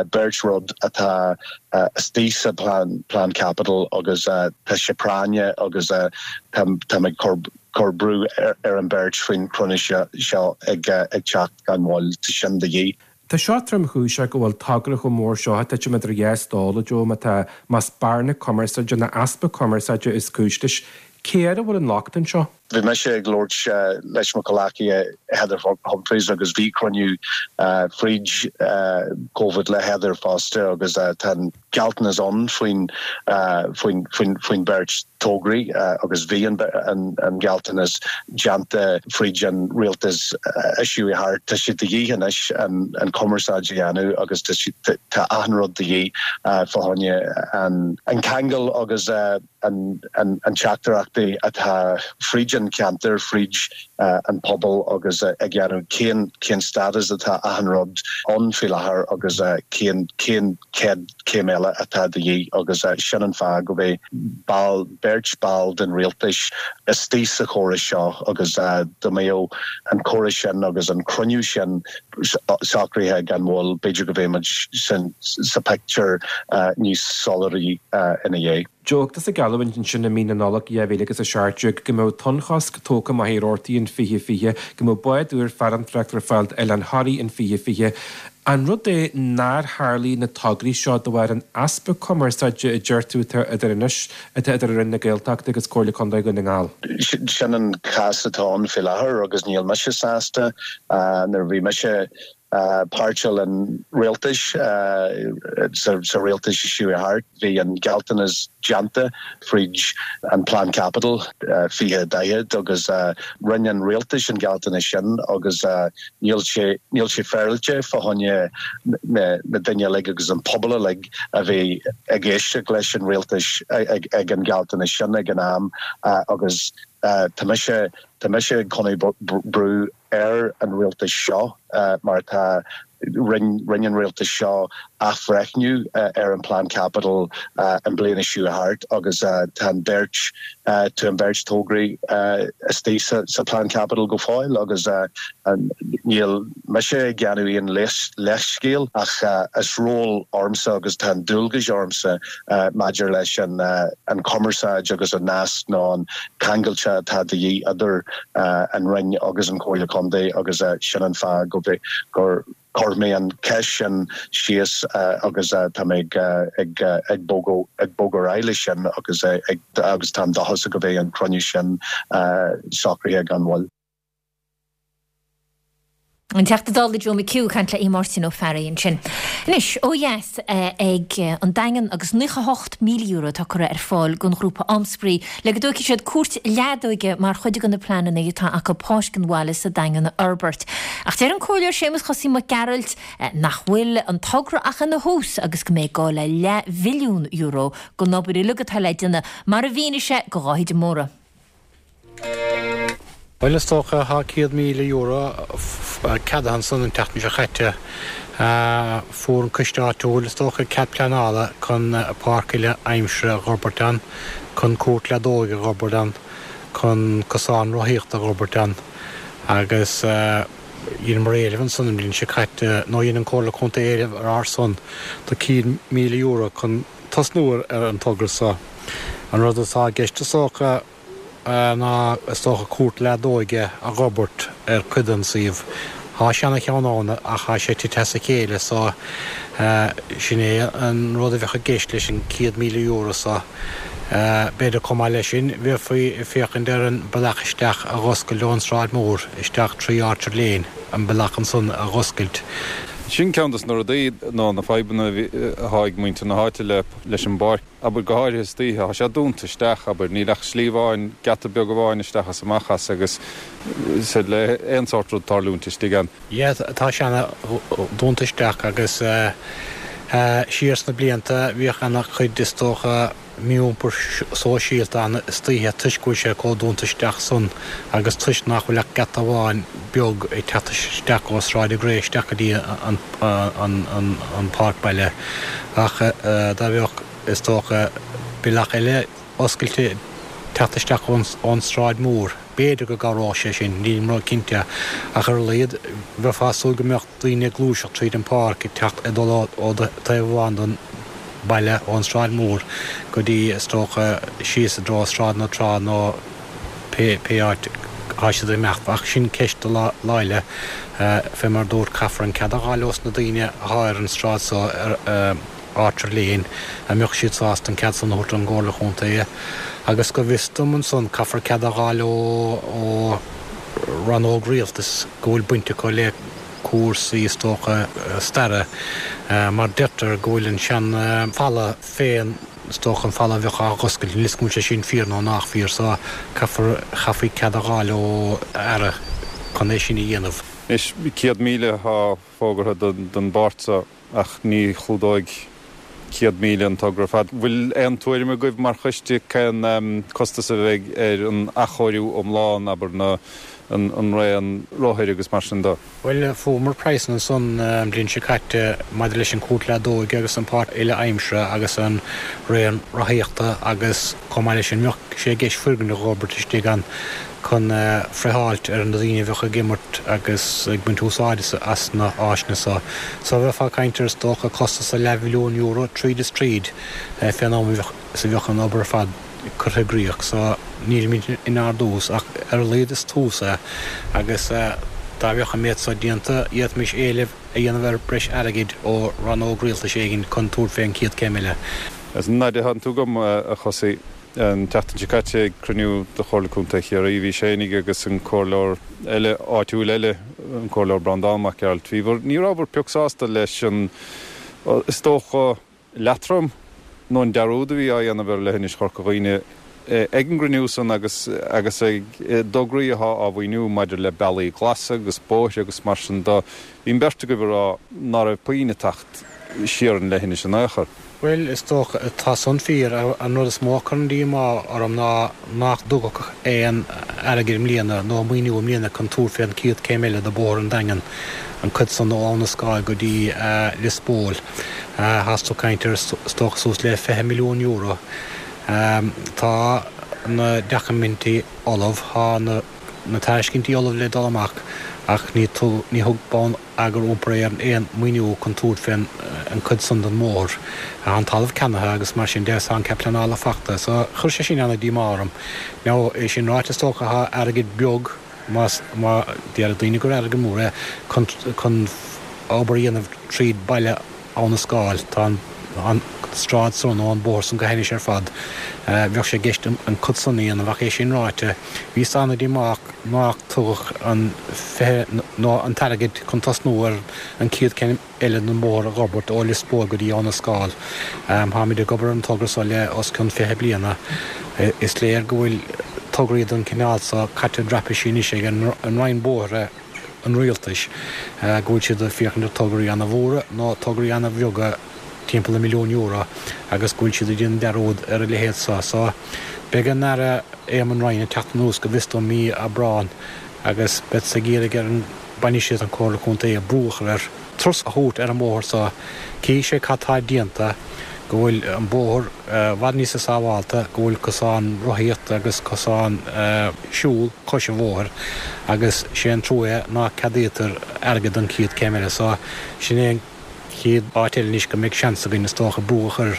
beirt rud atá istigh sa plean plean caipitil agus tá sé práinne agus tá tá ag cur cur brú ar, ar an beirt faoin cruinniú seo ag ag teacht gan mhoill tá sin de dhíth. Tá seo tromchúiseach go bhfuil togra chomh mór seo ag titim idir dhá stól, a Joe, má tá más bearna cumarsáide nó easpa cumarsáide is cúis leis. Cé air a bhfuil an locht anseo? Bhí mise ag labhairt leis mo chomhghleacaithe Heather Humphreys agus bhí cruinniú fríd Covid le Heather fosta agus tá an gealltanas ann faoin faoin faoin faoin beirt tograí agus bhí an an gealltanas déanta fríd an rialtas a chuaigh thart. Tá sé de dhíth anois an an cumarsáid a dhéanamh agus tá achan rud de dhíth fá choinne an an ceangal agus an an an teachtaireachtaí atá fríd an ceantar fríd an pobal agus ag déanamh cén cén status atá achan rud ann faoi láthair agus cén cén céad céim eile atá de dhíth agus sin an fáth go mbeidh ball beirt ball den rialtas istigh sa chóras seo agus dá mbeadh an córas sin agus an cruinniú sin socraithe gan mhoill b'fhéidir go mbeidh muid sin sa pictiúr níos soiléire ina dhiaidh. Joe, tusa a gheallúint ansin i mí na Nollag dhá mhíle agus a seacht déag go mbeadh tonnchosc tógtha Machaire Rabhartaigh in fiche fiche, go mbeadh bád úr farantóireachta ar fáil d'Oileán Thoraí in fiche fiche. An rud é nár tharlaigh na tograí seo de bharr an easpa cumarsáide a deir tú atá idir anois atá idir Roinn na Gaeltachta agus Comhairle Contae Dhún na nGall? Sin an cás atá ann faoi láthair agus níl mise sásta. Nuair a bhí mise páirteach an rialtais sa rialtas a chuaigh thart, bhí an gealltanas déanta fríd an Plean Caipitil fiche daichead agus rinne an rialtas an gealltanas sin agus níl sé níl sé féaráilte fá choinne na na daoine uilig agus an pobal uilig a bhí ag éisteacht leis an rialtas ag ag an gealltanas sin ag an am agus tá mise tá mise ag coinneáil brú ar an rialtas seo mar tá Rinne an rialtas seo athbhreithniú ar an bplean caipitil an bliana seo thart agus tá an beirt tá an bheirt tograí istigh sa plean caipitil go fóill agus níl mise ag déanamh aon leithscéal ach is ról ormsa agus tá an dualgas ormsa maidir leis an an cumarsáid agus an nasc nó an ceangailte atá de dhíth idir an Roinn agus an Chomhairle Contae agus sin an fáth go gur chuir mé an cheist sin síos agus tá mé ag ag bogadh ag bogadh ar aghaidh leis sin agus agus táim dóchasach go mbeidh an cruinniú sin socraithe gan mhoill. An Teachta Dála Joe McHugh ag caint le Máirtín Ó Fearraigh ansin. Anois ó dheas ag an Daingean agus naocha hocht míle euro atá curtha ar fáil don ghrúpa Amspraoi le go dtógfaidh siad cúirt leadóige mar chuid de na pleananna atá acu páirc an bhaile sa Daingean a fhorbairt. Ach deir an Comhairleoir Séamus Chosaí Mac Gearailt nach bhfuil an togra ach ina thús agus go mbeidh gá le leathmhilliún euro don obair uilig atá le déanamh mar a mhínigh sé do Dháithí de Mórdha. Bhuel is dócha tá céad míle euro ceadaithe ansan an tseachtain seo chaite. Fuair an coiste áitiúil is dócha cead pleanála chun páirc uile aimsire a dh'fhorbairt ann, chun cúirt leadóige a dh'fhorbairt ann, chun cosán rothaíochta a dh'fhorbairt ann agus dheineamar éileamh ansan an bhliain seo caite, nó dhein an Comhairle Contae éileamh ar ár son do céad míle euro chun tosnú ar an togra seo. An rud atá i gceist is dócha, ná is dócha cúirt leadóige a dh'fhorbairt ar cuid den suíomh. Thá seana-cheann ann ach thá sé tite as a chéile so sin é an rud a bheadh i gceist leis an céad míle euro so. B'fhéidir chomh maith leis sin bheifí ag féachaint ar an bealach isteach a dh'oscailt ón Sráid Mhór isteach trí Orchard Lane, an bealach ansan a dh'oscailt. Sin ceann dos na rudaí nó na fadhbanna atá ag muintir na háite leis an bpáirc. Abair, go háirithe istoíche, tá sé dúnta isteach, abair, níl ach slí amháin, geata beag amháin isteach is amach as agus is féidir le aon sórt rud tarlúint istigh ann. Yeah, tá sé ana dúnta isteach agus siar sna blianta bhíodh ana chuid is dócha mí-iompar sóisialta ann istoíche toisc go bhfuil sé chomh dúnta isteach san agus toisc nach bhfuil ach geata amháin beag ag teacht isteach ó Sráid an Ghré isteach go dtí an páirc baile ach dá mbeadh is dócha, bealach eile oscailte teacht isteach ón Sráid Mhór. B'fhéidir go gcabhródh sé sin, nílim ró-chinnte, ach ar a laghad bheifeá ag súil go mbeadh daoine ag gluaiseacht tríd an pháirc ag teacht, ag dul ó taobh amháin den baile, ón Sráid Mhór go dtí, is dócha, síos i dtreo Sráid na Trá nó pé áit atá siad ag imeacht. Ach sin ceist do lá eile. Fé mar a dúrt, caithfear an cead a fháil ós na daoine atá ar an sráid so ar. Orchard Lane, an mbeadh siad sásta an cead san a thabhairt don gComhairle Chontae agus go bhfios dom ansan caithfear cead a fháil ó rannóg rialtais go bhfuil baint acu le cúrsaí is dócha staire mar deirtear go bhfuil an sean falla féin is dócha an falla a bheadh á dh'oscailt níl 'fhios agam an bhfuil sé sin fíor nó nach fíor so caithfear chaithfí cead a fháil ó Aire chun é sin a dhéanamh. Anois céad míle atá fógartha don bpáirt so. Ach ní chlúdóidh céad míle an togra ar fad. Bhfuil aon tuairim agaibh mar choiste cén costas a bheidh ar an athchóiriú iomlán, abair, na, an raon rothair agus mar sin de? Bhuel, fuaireamar praghsanna ansan an bhliain seo caite maidir leis an chúirt leadóige agus an pháirc uile aimsire agus an raon rothaíochta agus chomh maith leis sin bheadh sé i gceist foirgneamh a dh'fhorbairt istigh ann chun friotháilt ar na daoine a bheadh ag imirt agus ag baint úsáide as na háiseanna so. So bheifeá ag caint ar is dócha costas de leathmhilliún euro tríd is tríd fén am is a bheadh an obair ar fad curtha i gcrích. So nílimid inár dtús ach ar a laghad is tús é agus dá mbeadh an méid so déanta d'fhéadfaimis éileamh a dhéanamh ar breis airgid ó rannóg rialtais éigin chun tabhairt fén chéad céim eile. Is an fhaid atánn tú agam, a Chosaí. An tseachtain seo caite ag cruinniú de Chomhairle Contae Chiarraí bhí sibh fhéinig agus an comhairleoir eile áitiúil eile, an Comhairleoir Breandán Mac Gearailt, bhí bhur, ní rabhabhair pioc sásta leis an, is dócha, leatrom nó an dearúd a bhí á dhéanamh ar leithinis Chorca Dhuibhne ag an gcruinniú san agus agus ag dtograí atá á mhaoiniú maidir le bealaí glasa agus bóithre agus mar sin de. Bhí an bheirt agaibh ag rá ná raibh puinn ag teacht siar an leithinis in aon chor. Bhuel, is dócha, tá san fíor. An rud is mó a chuireann díomá orm ná nach dtugadh aon airgead i mbliana nó maoiniú i mbliana chun tabhairt fé an chéad chéim eile de Bhóthar an Daingin, an cuid san ó Abhainn an Scáil go dtí Lios Póil. Tá tú ag caint ar is dócha suas le fiche milliún euro. Tá na doiciméidí ullamh, tá na na tairiscintí ullamh le dul amach ach ní thug Bonneagar Iompair Éireann aon mhaoiniú chun tabhairt fén an cuid san den mbóthar. Tá an talamh ceannaithe agus mar sin de tá an cead pleanála fachta so chuir sé sin ana díomá orm. Now é sin ráite is dócha tá airgead beag más má déarfadh daoine gur airgead mór é chun chun obair a dhéanamh tríd baile Abhainn an Scáil. Tá an an stráid san nó an bóthar san go hainnis ar fad. Bheadh sé i gceist an cuid san a dhéanamh ach é sin ráite, bhíos ana-dhíomách nách tugadh an fiche nó an t-airgead chun tosnú ar an chéad chéim eile den mbóthar a dh'fhorbairt ó Lios Póil go dtí Abhainn an Scáil. Táimid ag obair ar an togra so le os cionn fiche bliana. Is léir go bhfuil tograí den chineál so caite i dtraipisí anois ag an Roinn Bóithre, an Rialtais, go bhfuil siad ag féachaint ar tograí ana-mhóra nó tograí ana-bheaga timpeall le milliún euro agus go bhfuil siad ag déanamh dearúd ar a leithéid so. So, beidh an Aire Éamon Ryan ag teacht anuas go bhfios dom mí Aibreáin agus beadsa ag iarraidh ar an bainistíocht an Chomhairle Contae brú a chur air turas a thabhairt ar an mbóthar so, cífidh sé cad tá déanta, go bhfuil an bóthar i bhfad níosa sábhálta, go bhfuil cosán rothaíochta agus cosán siúl cois an bhóthair agus sé an trua é ná ceadaítear airgead don chéad céim eile so sin é an chéad áit eile anois go mbeidh seans againn is dócha brú a chur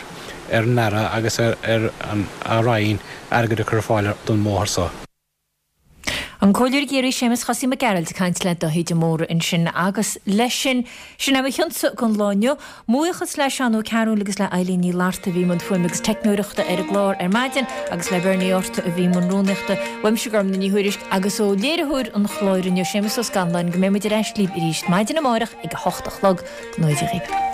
ar an Aire agus ar a Roinn airgead a chur ar fáil don mbóthar so. An Comhairleoir i gCiarraí Séamus Chosaí Mac Gearailt ag caint le Dáithí de Mórdha ansin agus leis sin, sin é mo chionsa don lá inniu. Mo bhuíochas le Seán Ó Cearúil agus le Eilín Ní Fhlatharta a bhí i mbun fuaime agus teicneoireachta ar an gclár ar maidin agus le Bernie Arthur a bhí i mbun rúnaíochta. Uaimse Gormfhlaith Ní Thuairisg agus ó léiritheoir an chláir inniu Séamus Ó Scanláin go mbeidh muid ar ais libh arís maidin amárach ag a hocht a chlog. Go ngnóthaí Dia dhaoibh.